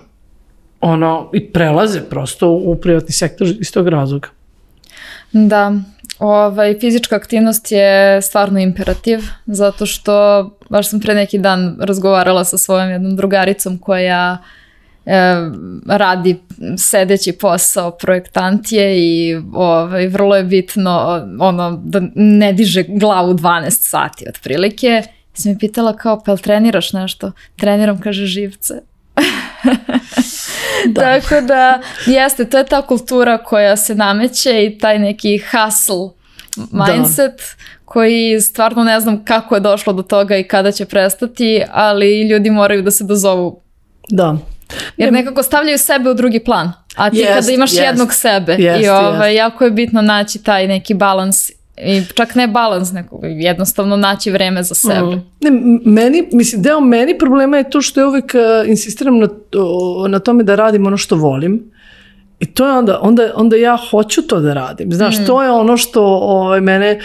i prelaze prosto u privatni sektor iz tog razloga. Da, fizička aktivnost je stvarno imperativ, zato što baš sam pre neki dan razgovarala sa svojom jednom drugaricom koja radi sedeći posao, projektant je i vrlo je bitno da ne diže glavu 12 sati otprilike. Sam mi pitala kao, pa jel treniraš nešto? Treniram, kaže, živce. Tako da, jeste, to je ta kultura koja se nameće i taj neki hustle mindset koji stvarno ne znam kako je došlo do toga i kada će prestati, ali ljudi moraju da se dozovu. Da. Jer nekako stavljaju sebe u drugi plan. A ti kada imaš jednog sebe i jako je bitno naći taj neki balans i čak ne balans, nego jednostavno naći vreme za sebe. Deo meni problema je to što ja uvek insistiram na tome da radim ono što volim. I to je onda ja hoću to da radim. Znaš, to je ono što mene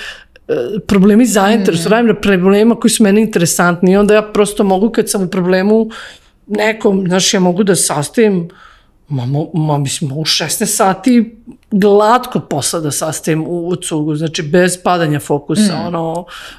problemi zainteresuju. Radim na problema koji su meni interesantni i onda ja prosto mogu kad sam u problemu nekom, znaš, ja mogu da sastavim mislim, u 16 sati glatko posla da sastavim u cugu, znači bez padanja fokusa,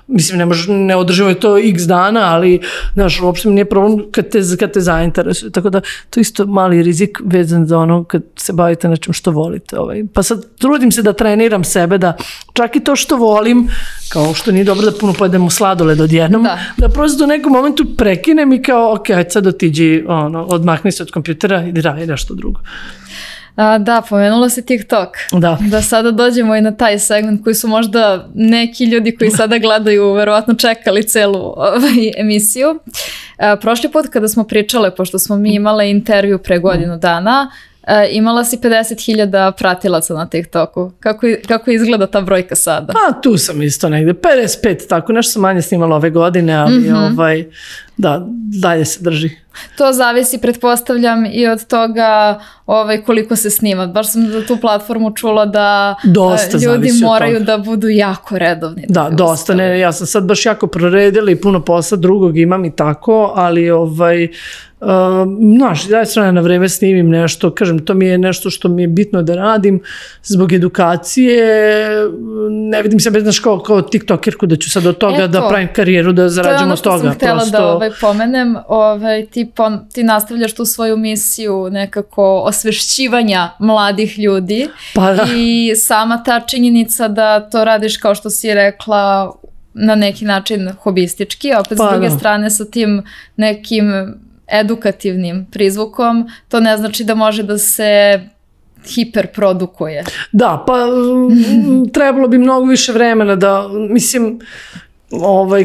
mislim, ne održava je to x dana, ali, znaš, uopšte mi nije problem kad te zainteresuje, tako da to je isto mali rizik vezan za ono kad se bavite nečem što volite. Pa sad trudim se da treniram sebe, da čak i to što volim, kao što nije dobro da puno pojedemo sladoled odjednom, da prosto u nekom momentu prekinem i kao, ok, ajde sad otiđi, odmahni se od kompjutera i radi nešto drugo. Da, pomenula si TikTok. Da sada dođemo i na taj segment koji su možda neki ljudi koji sada gledaju verovatno čekali celu emisiju. Prošli put kada smo pričale, pošto smo mi imale intervju pre godinu dana, imala si 50.000 pratilaca na TikToku. Kako izgleda ta brojka sada? Pa tu sam isto negde, 55, tako nešto sam manje snimala ove godine, ali da, dalje se drži. To zavisi, pretpostavljam, i od toga koliko se snima. Baš sam za tu platformu čula da ljudi moraju da budu jako redovni. Da, dosta. Ne, ja sam sad baš jako proredila i puno posla drugog imam i tako, ali znaš, daj strane na vreme snimim nešto, kažem, to mi je nešto što mi je bitno da radim zbog edukacije, ne vidim se, znaš, kao tiktokerku da ću sad od toga da pravim karijeru, da zarađujem od toga. To je ono što sam htjela da pomenem, ti nastavljaš tu svoju misiju nekako osvešćivanja mladih ljudi i sama ta činjenica da to radiš, kao što si rekla, na neki način hobistički, a opet s druge strane sa tim nekim edukativnim prizvukom, to ne znači da može da se hiperprodukuje. Da, pa trebalo bi mnogo više vremena da, mislim,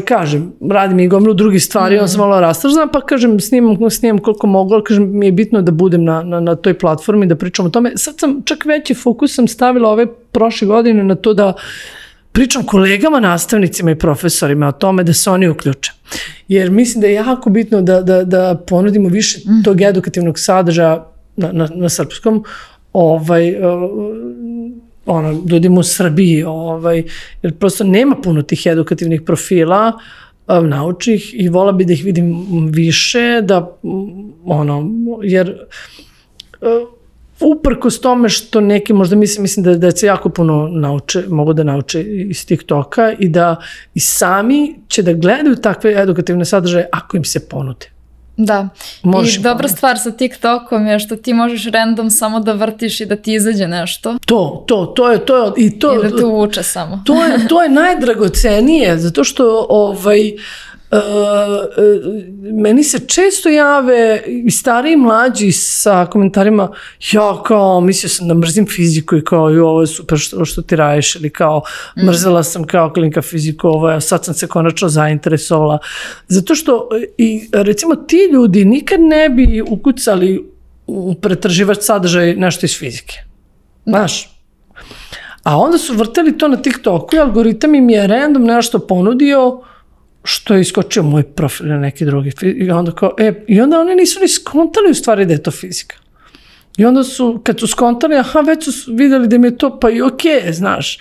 kažem, radim i gomilu drugih stvari, on sam malo rastržena, pa kažem, snimam koliko mogu, ali kažem, mi je bitno da budem na toj platformi, da pričam o tome. Sad sam čak veći fokus sam stavila ove prošle godine na to da pričam kolegama, nastavnicima i profesorima o tome da se oni uključe. Jer mislim da je jako bitno da ponudimo više tog edukativnog sadržaja na srpskom, ljudima u Srbiji, jer prosto nema puno tih edukativnih profila naučnih i vola bi da ih vidim više, jer uprkos tome što neki možda mislim da se jako puno mogu da nauče iz TikToka i da i sami će da gledaju takve edukativne sadržaje ako im se ponude. Da, i dobra stvar sa TikTokom je što ti možeš random samo da vrtiš i da ti izađe nešto. To je i da te uvuče samo. To je najdragocenije, zato što meni se često jave i stariji i mlađi sa komentarima, ja kao mislio sam da mrzim fiziku i kao ovo je super što ti radiš, ili kao mrzela sam kao klinka fiziku, sad sam se konačno zainteresovala. Zato što i recimo ti ljudi nikad ne bi ukucali pretraživač sadržaj nešto iz fizike. Znaš? A onda su vrteli to na TikToku i algoritam im je random nešto ponudio što je iskočio moj profil na neki drugi. I onda oni nisu ni skontali u stvari da je to fizika. I onda su, kad su skontali, već su videli da mi je to, pa i okej, znaš.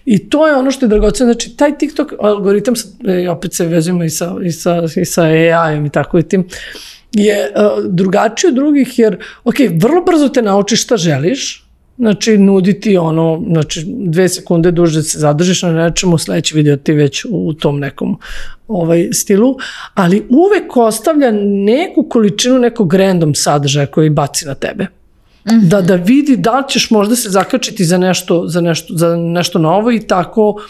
I to je ono što je dragoceno. Znači, taj TikTok algoritam, opet se vezujemo i sa AI-om i tako i tim, je drugačiji od drugih, jer, vrlo brzo te naučiš šta želiš, znači, nuditi ono, znači, 2 sekunde duže se zadržiš na nečemu, sledeći video ti već u tom nekom stilu, ali uvek ostavlja neku količinu nekog random sadržaja koji baci na tebe. Da vidi da li ćeš možda se zakačiti za nešto novo i tako,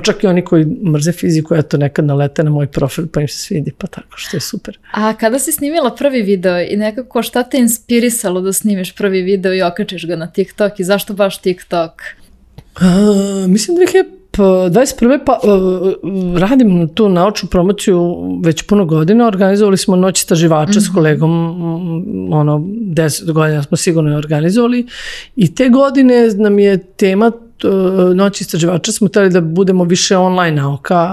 čak i oni koji mrze fiziku, eto nekad nalete na moj profil pa im se svidi, pa tako, što je super. A kada si snimila prvi video i nekako šta te inspirisalo da snimiš prvi video i okačiš ga na TikTok i zašto baš TikTok? Mislim da 2021. pa radim tu naučnu promociju već puno godina, organizovali smo Noć istraživača s kolegom, 10 godina smo sigurno organizovali i te godine nam je tema Noć istraživača, smo htjeli da budemo više online nauka,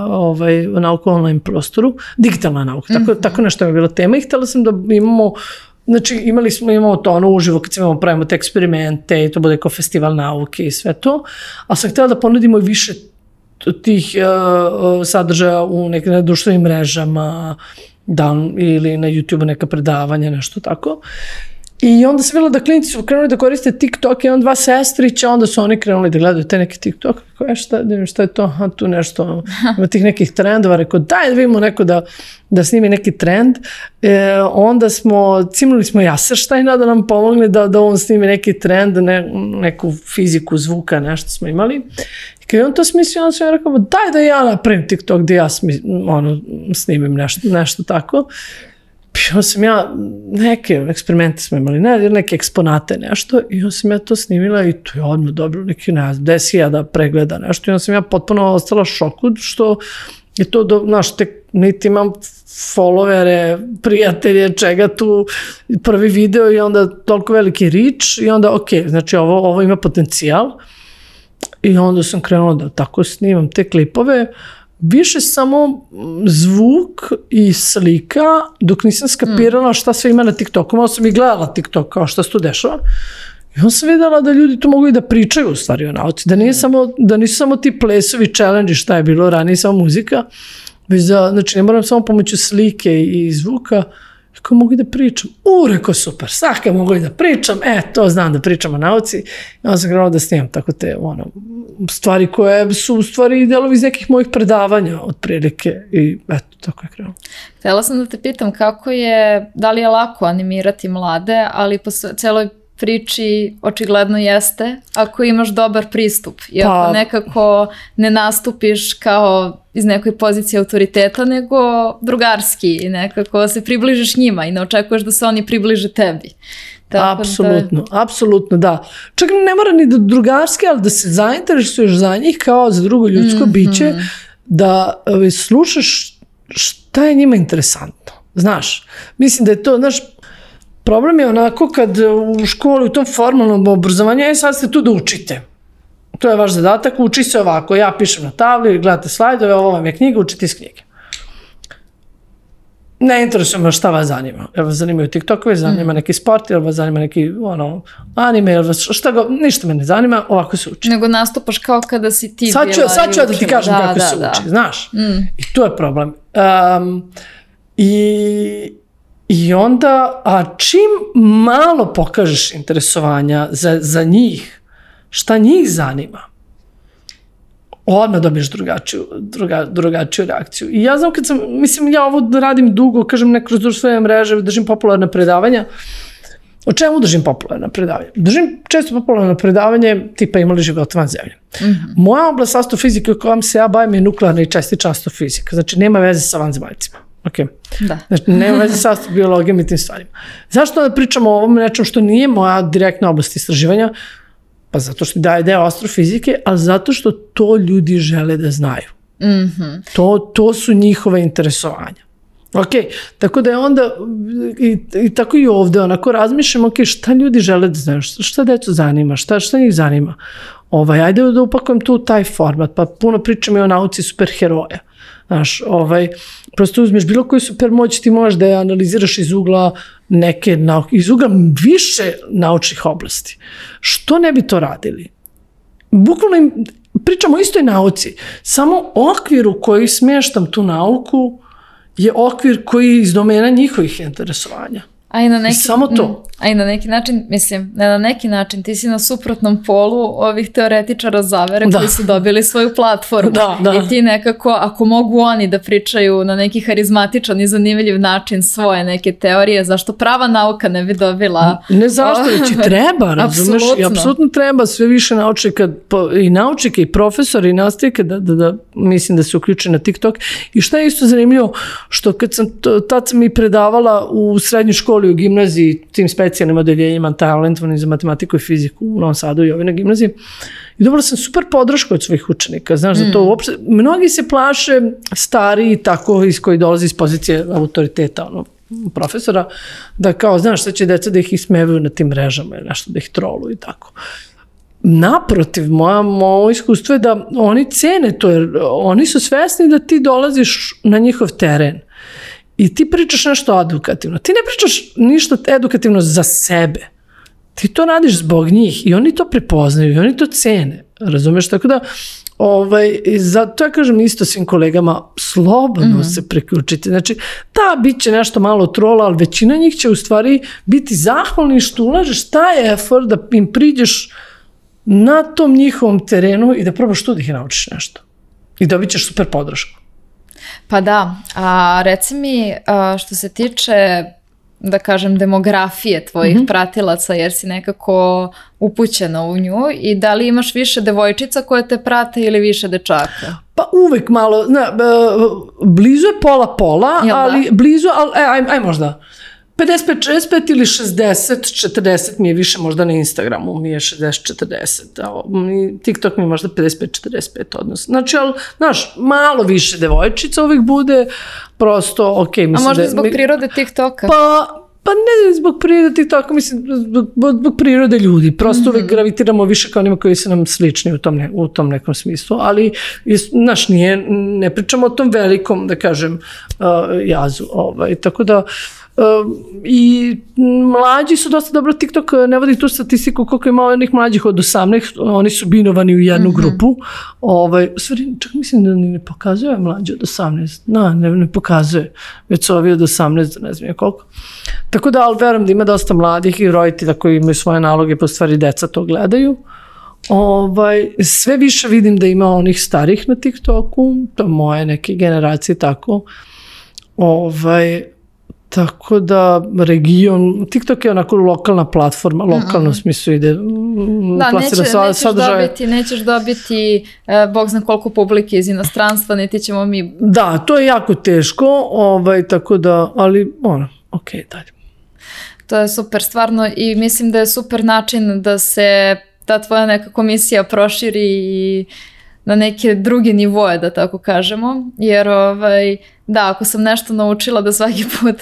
nauka u online prostoru, digitalna nauka, tako nešto je bila tema i htjela sam da imamo. Znači, imamo to ono uživo kad se pravimo te eksperimente i to bude kao festival nauke i sve to, ali sam htjela da ponudimo i više tih sadržaja u nekim društvenim mrežama ili na YouTube neka predavanja, nešto tako. I onda sam vidjela da klinici su krenuli da koriste TikTok i dva sestrića, onda su oni krenuli da gledaju te neke TikTok. Šta je to? Tu nešto, ima tih nekih trendova. Rekao, daj da vidimo neko da snimi neki trend. Onda cimnuli smo Jaserštajna da nam pomogne da on snimi neki trend, neku fiziku zvuka, nešto smo imali. I kad je on to smislio, onda sam ja rekao, daj da ja napravim TikTok gdje ja snimim nešto tako. Onda sam ja, neke eksperimente smo imali, neke eksponate, nešto, i onda sam ja to snimila i to je odmah dobilo neki, 10.000 pregleda, nešto, i onda sam ja potpuno ostala šoku, što je to, znaš, niti imam followere, prijatelje, čega tu, prvi video i onda toliko veliki reach i onda, znači ovo ima potencijal i onda sam krenula da tako snimam te klipove, više samo zvuk i slika, dok nisam skapirala šta sve ima na TikToku. Malo sam i gledala TikTok kao šta se tu dešava. I onda sam videla da ljudi tu mogu i da pričaju u stvari o nauci. Da nisu samo ti plesovi, challenge, šta je bilo ranije, samo muzika. Već znači ne moram samo pomoću slike i zvuka. Kako mogu i da pričam? Rekao super, svaka mogu i da pričam, to znam da pričam o nauci. I onda sam krenula da snimam tako te stvari koje su u stvari delovi iz nekih mojih predavanja otprilike i eto, tako je krenulo. Htjela sam da te pitam da li je lako animirati mlade, ali po celoj priči očigledno jeste ako imaš dobar pristup i ako nekako ne nastupiš kao iz nekoj pozicije autoriteta, nego drugarski i nekako se približiš njima i ne očekuješ da se oni približe tebi. Apsolutno, da. Čak ne mora ni da drugarski, ali da se zainteresuješ za njih kao za drugo ljudsko biće, da slušaš šta je njima interesantno. Znaš, mislim da je to, znaš, problem je onako kad u školi, u tom formalnom obrazovanju, sad ste tu da učite. To je vaš zadatak, uči se ovako, ja pišem na tabli, gledate slajdove, ovo vam je knjiga, učite iz knjige. Ne interesuje me šta vas zanima. Jel vas zanimaju TikTokovi, zanima neki sport, jel vas zanima neki anime, jel vas ništa me ne zanima, ovako se uči. Nego nastupaš kao kada si ti bila. Sad ću ja da ti kažem kako se uči, znaš. I to je problem. I onda, čim malo pokažeš interesovanja za njih, šta njih zanima, odmah dobiješ drugačiju reakciju. I ja znam ja ovo radim dugo, kažem ne kroz društvene mreže, držim popularne predavanja. O čemu držim popularne predavanja? Držim često popularne predavanje tipa Ima li života van zemlje. Moja oblast astrofizike u kojom se ja bavim je nuklearna i čestična astrofizika. Znači nema veze sa vanzemaljcima. Znači, nema veze sa astrobiologijom i tim stvarima. Zašto da pričamo o ovom nečem što nije moja direktna oblast istraživanja? Pa zato što daje deo astrofizike, ali zato što to ljudi žele da znaju. To su njihove interesovanja. Ok, tako da je onda i tako i ovde, onako razmišljam, ok, šta ljudi žele da znaju, šta decu zanima, šta njih zanima. Ajde da upakujem tu taj format, pa puno pričam i o nauci superheroja. Znaš, prosto uzmeš bilo koju supermoć, ti možeš da je analiziraš iz ugla neke nauke, iz ugla više naučnih oblasti. Što ne bi to radili? Bukvalno pričamo o istoj nauci, samo okvir u koji smještam tu nauku je okvir koji je iz domena njihovih interesovanja. I samo to. A i na neki način, mislim, ne na neki način, ti si na suprotnom polu ovih teoretičara zavere koji su dobili svoju platformu. I ti nekako, ako mogu oni da pričaju na neki harizmatičan i zanimljiv način svoje neke teorije, zašto prava nauka ne bi dobila? Ne zašto, već i treba, razumeš? I apsolutno treba sve više naučnika i profesora i nastavnika da mislim da se uključe na TikTok. I šta je isto zanimljivo, što tad sam i predavala u srednjoj školi, u gimnaziji, tim specijalnim odeljenjima talentovani za matematiku i fiziku u Novom Sadu i na gimnaziji. I dobila sam super podršku od svojih učenika. Znaš, za to uopšte, mnogi se plaše stariji tako iz koji dolazi iz pozicije autoriteta, profesora, da kao, znaš, sad će deca da ih ismevaju na tim mrežama ili nešto, da ih troluju i tako. Naprotiv, moje iskustvo je da oni cene to, jer oni su svesni da ti dolaziš na njihov teren. I ti pričaš nešto edukativno. Ti ne pričaš ništa edukativno za sebe. Ti to radiš zbog njih i oni to prepoznaju i oni to cene. Razumeš? Tako da, zato ja kažem isto svim kolegama, slobodno se priključite. Znači, bit će nešto malo trola, ali većina njih će u stvari biti zahvalni što ulažeš taj effort da im priđeš na tom njihovom terenu i da probaš tu da ih naučiš nešto. I dobit ćeš super podršku. Pa da, a reci mi što se tiče, da kažem, demografije tvojih pratilaca, jer si nekako upućena u nju, i da li imaš više devojčica koje te prate ili više dečaka? Pa uvek malo, blizu je pola, ali blizu, aj možda 55-65 ili 60-40 mi je više možda na Instagramu, mi je 60-40, TikTok mi je možda 55-45 odnos. Znači, ali, znaš, malo više devojčica uvijek bude, prosto, ok. A možda zbog prirode TikToka? Pa ne zbog prirode TikToka, mislim, zbog prirode ljudi. Prosto uvijek gravitiramo više kao onima koji su nam slični u tom nekom smislu, ali, znaš, ne pričamo o tom velikom, da kažem, jazu. Tako da, i mlađi su dosta dobro, TikTok ne vodi tu statistiku koliko ima onih mlađih od 18, oni su binovani u jednu grupu. Stvari, čak mislim da ne pokazuje mlađe od 18, ne pokazuje, već su ovi od 18, ne znam koliko. Tako da, ali verujem da ima dosta mladih i roditelja koji imaju svoje naloge, po stvari deca to gledaju. Sve više vidim da ima onih starih na TikToku, to moje neke generacije tako. Tako da region, TikTok je onako lokalna platforma, lokalno u smislu ide plasira sadržaje. Nećeš dobiti bog zna koliko publike iz inostranstva, niti ćemo mi... Da, to je jako teško, tako da, ali ok, dalje. To je super stvarno i mislim da je super način da se ta tvoja neka komisija proširi i na neke druge nivoje, da tako kažemo, jer da, ako sam nešto naučila da svaki put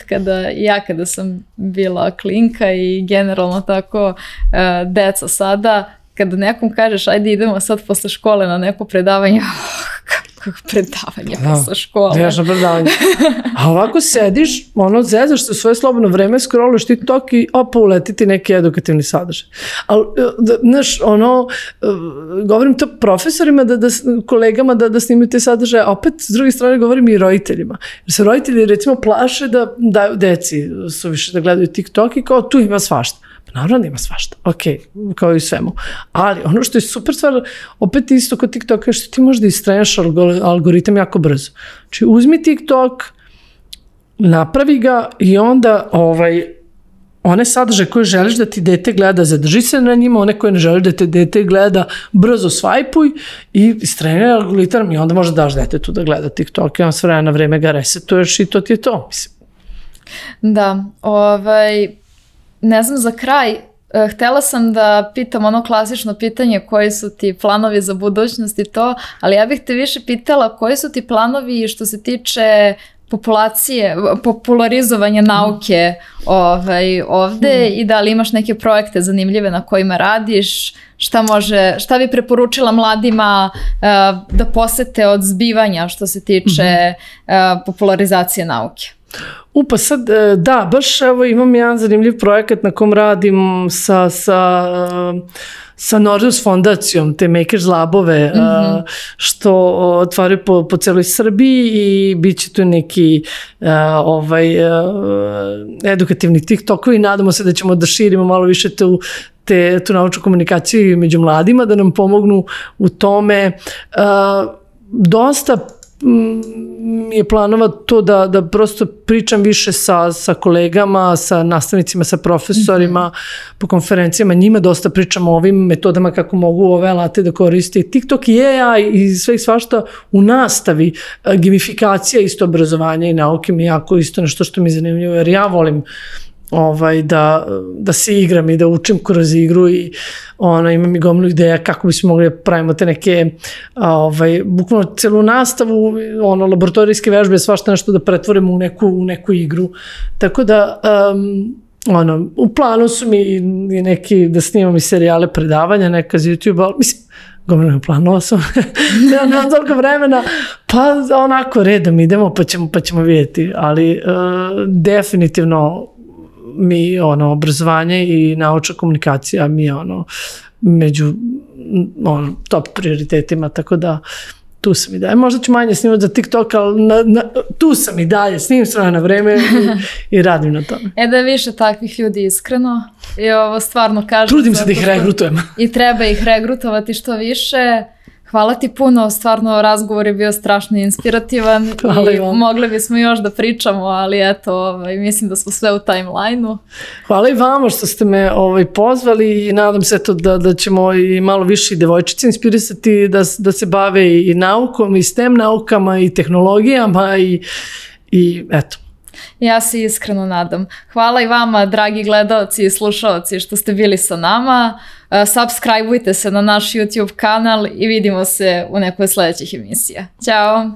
kada sam bila klinka i generalno tako deca sada, kada nekom kažeš ajde idemo sad posle škole na neko predavanje, kako predavanje posle škole. Nežno predavanje. A ovako sediš, zezaš se u svoje slobodno vreme, scrolluješ TikTok i uleti ti neki edukativni sadržaj. Ali, znaš, govorim to profesorima, kolegama da snimaju te sadržaje, a opet s druge strane govorim i roditeljima. Jer se roditelji recimo plaše da daju deci suviše da gledaju TikTok i kao tu ima svašta. Naravno da ima svašta, ok, kao i svemu. Ali ono što je super stvar, opet isto kod TikToka, što ti možda istraješ algoritam jako brzo. Znači uzmi TikTok, napravi ga i onda one sadržaje koje želiš da ti dete gleda, zadrži se na njima, one koje ne želiš da te dete gleda, brzo svajpuj i istrajaj algoritam i onda možda daš detetu da gleda TikTok i on s vremena na vreme ga resetuješ i to ti je to, mislim. Da, ne znam, za kraj, htjela sam da pitam ono klasično pitanje koji su ti planovi za budućnost i to, ali ja bih te više pitala koji su ti planovi što se tiče popularizovanja nauke ovde i da li imaš neke projekte zanimljive na kojima radiš, šta bi preporučila mladima da posete od zbivanja što se tiče popularizacije nauke? Pa sad, da, baš evo imam jedan zanimljiv projekat na kom radim sa Nordhaus fondacijom, te Makers Labove, što otvaraju po celoj Srbiji i bit će tu neki edukativni TikTokovi i nadamo se da ćemo da širimo malo više tu naučnu komunikaciju među mladima, da nam pomognu u tome. Dosta je planova to da prosto pričam više sa kolegama, sa nastavnicima, sa profesorima po konferencijama, njima dosta pričam o ovim metodama kako mogu ove alate da koriste. TikTok i AI i sve i svašta u nastavi, gamifikacija isto obrazovanja i nauke mi je jako isto nešto što mi je zanimljivo, jer ja volim da se igram i da učim kroz igru i imam i gomilu ideja kako bismo mogli da pravimo te neke bukvalno celu nastavu, laboratorijske vežbe, svašta nešto da pretvorimo u neku igru. Tako da u planu su mi i neki da snimam i serijale predavanja, neka za YouTube, ali mislim, gomilno planova sam, nemam toliko vremena, pa onako redom idemo pa ćemo vidjeti, ali definitivno mi obrazovanje i naučna komunikacija mi je među top prioritetima, tako da tu sam i dalje. Možda ću manje snimati za TikTok, ali tu sam i dalje, snimim sve na vreme i radim na tome. Da je više takvih ljudi iskreno i ovo stvarno kažem. Trudim se da ih regrutujem. I treba ih regrutovati što više. Hvala ti puno, stvarno razgovor je bio strašno inspirativan i mogli bismo još da pričamo, ali eto, mislim da smo sve u timeline-u. Hvala i vama što ste me pozvali i nadam se da ćemo i malo više devojčice inspirisati da se bave i naukom i STEM naukama i tehnologijama i eto. Ja se iskreno nadam. Hvala i vama, dragi gledaoci i slušaoci, što ste bili sa nama. Subscribeujte se na naš YouTube kanal i vidimo se u nekoj sledećih emisija. Ćao!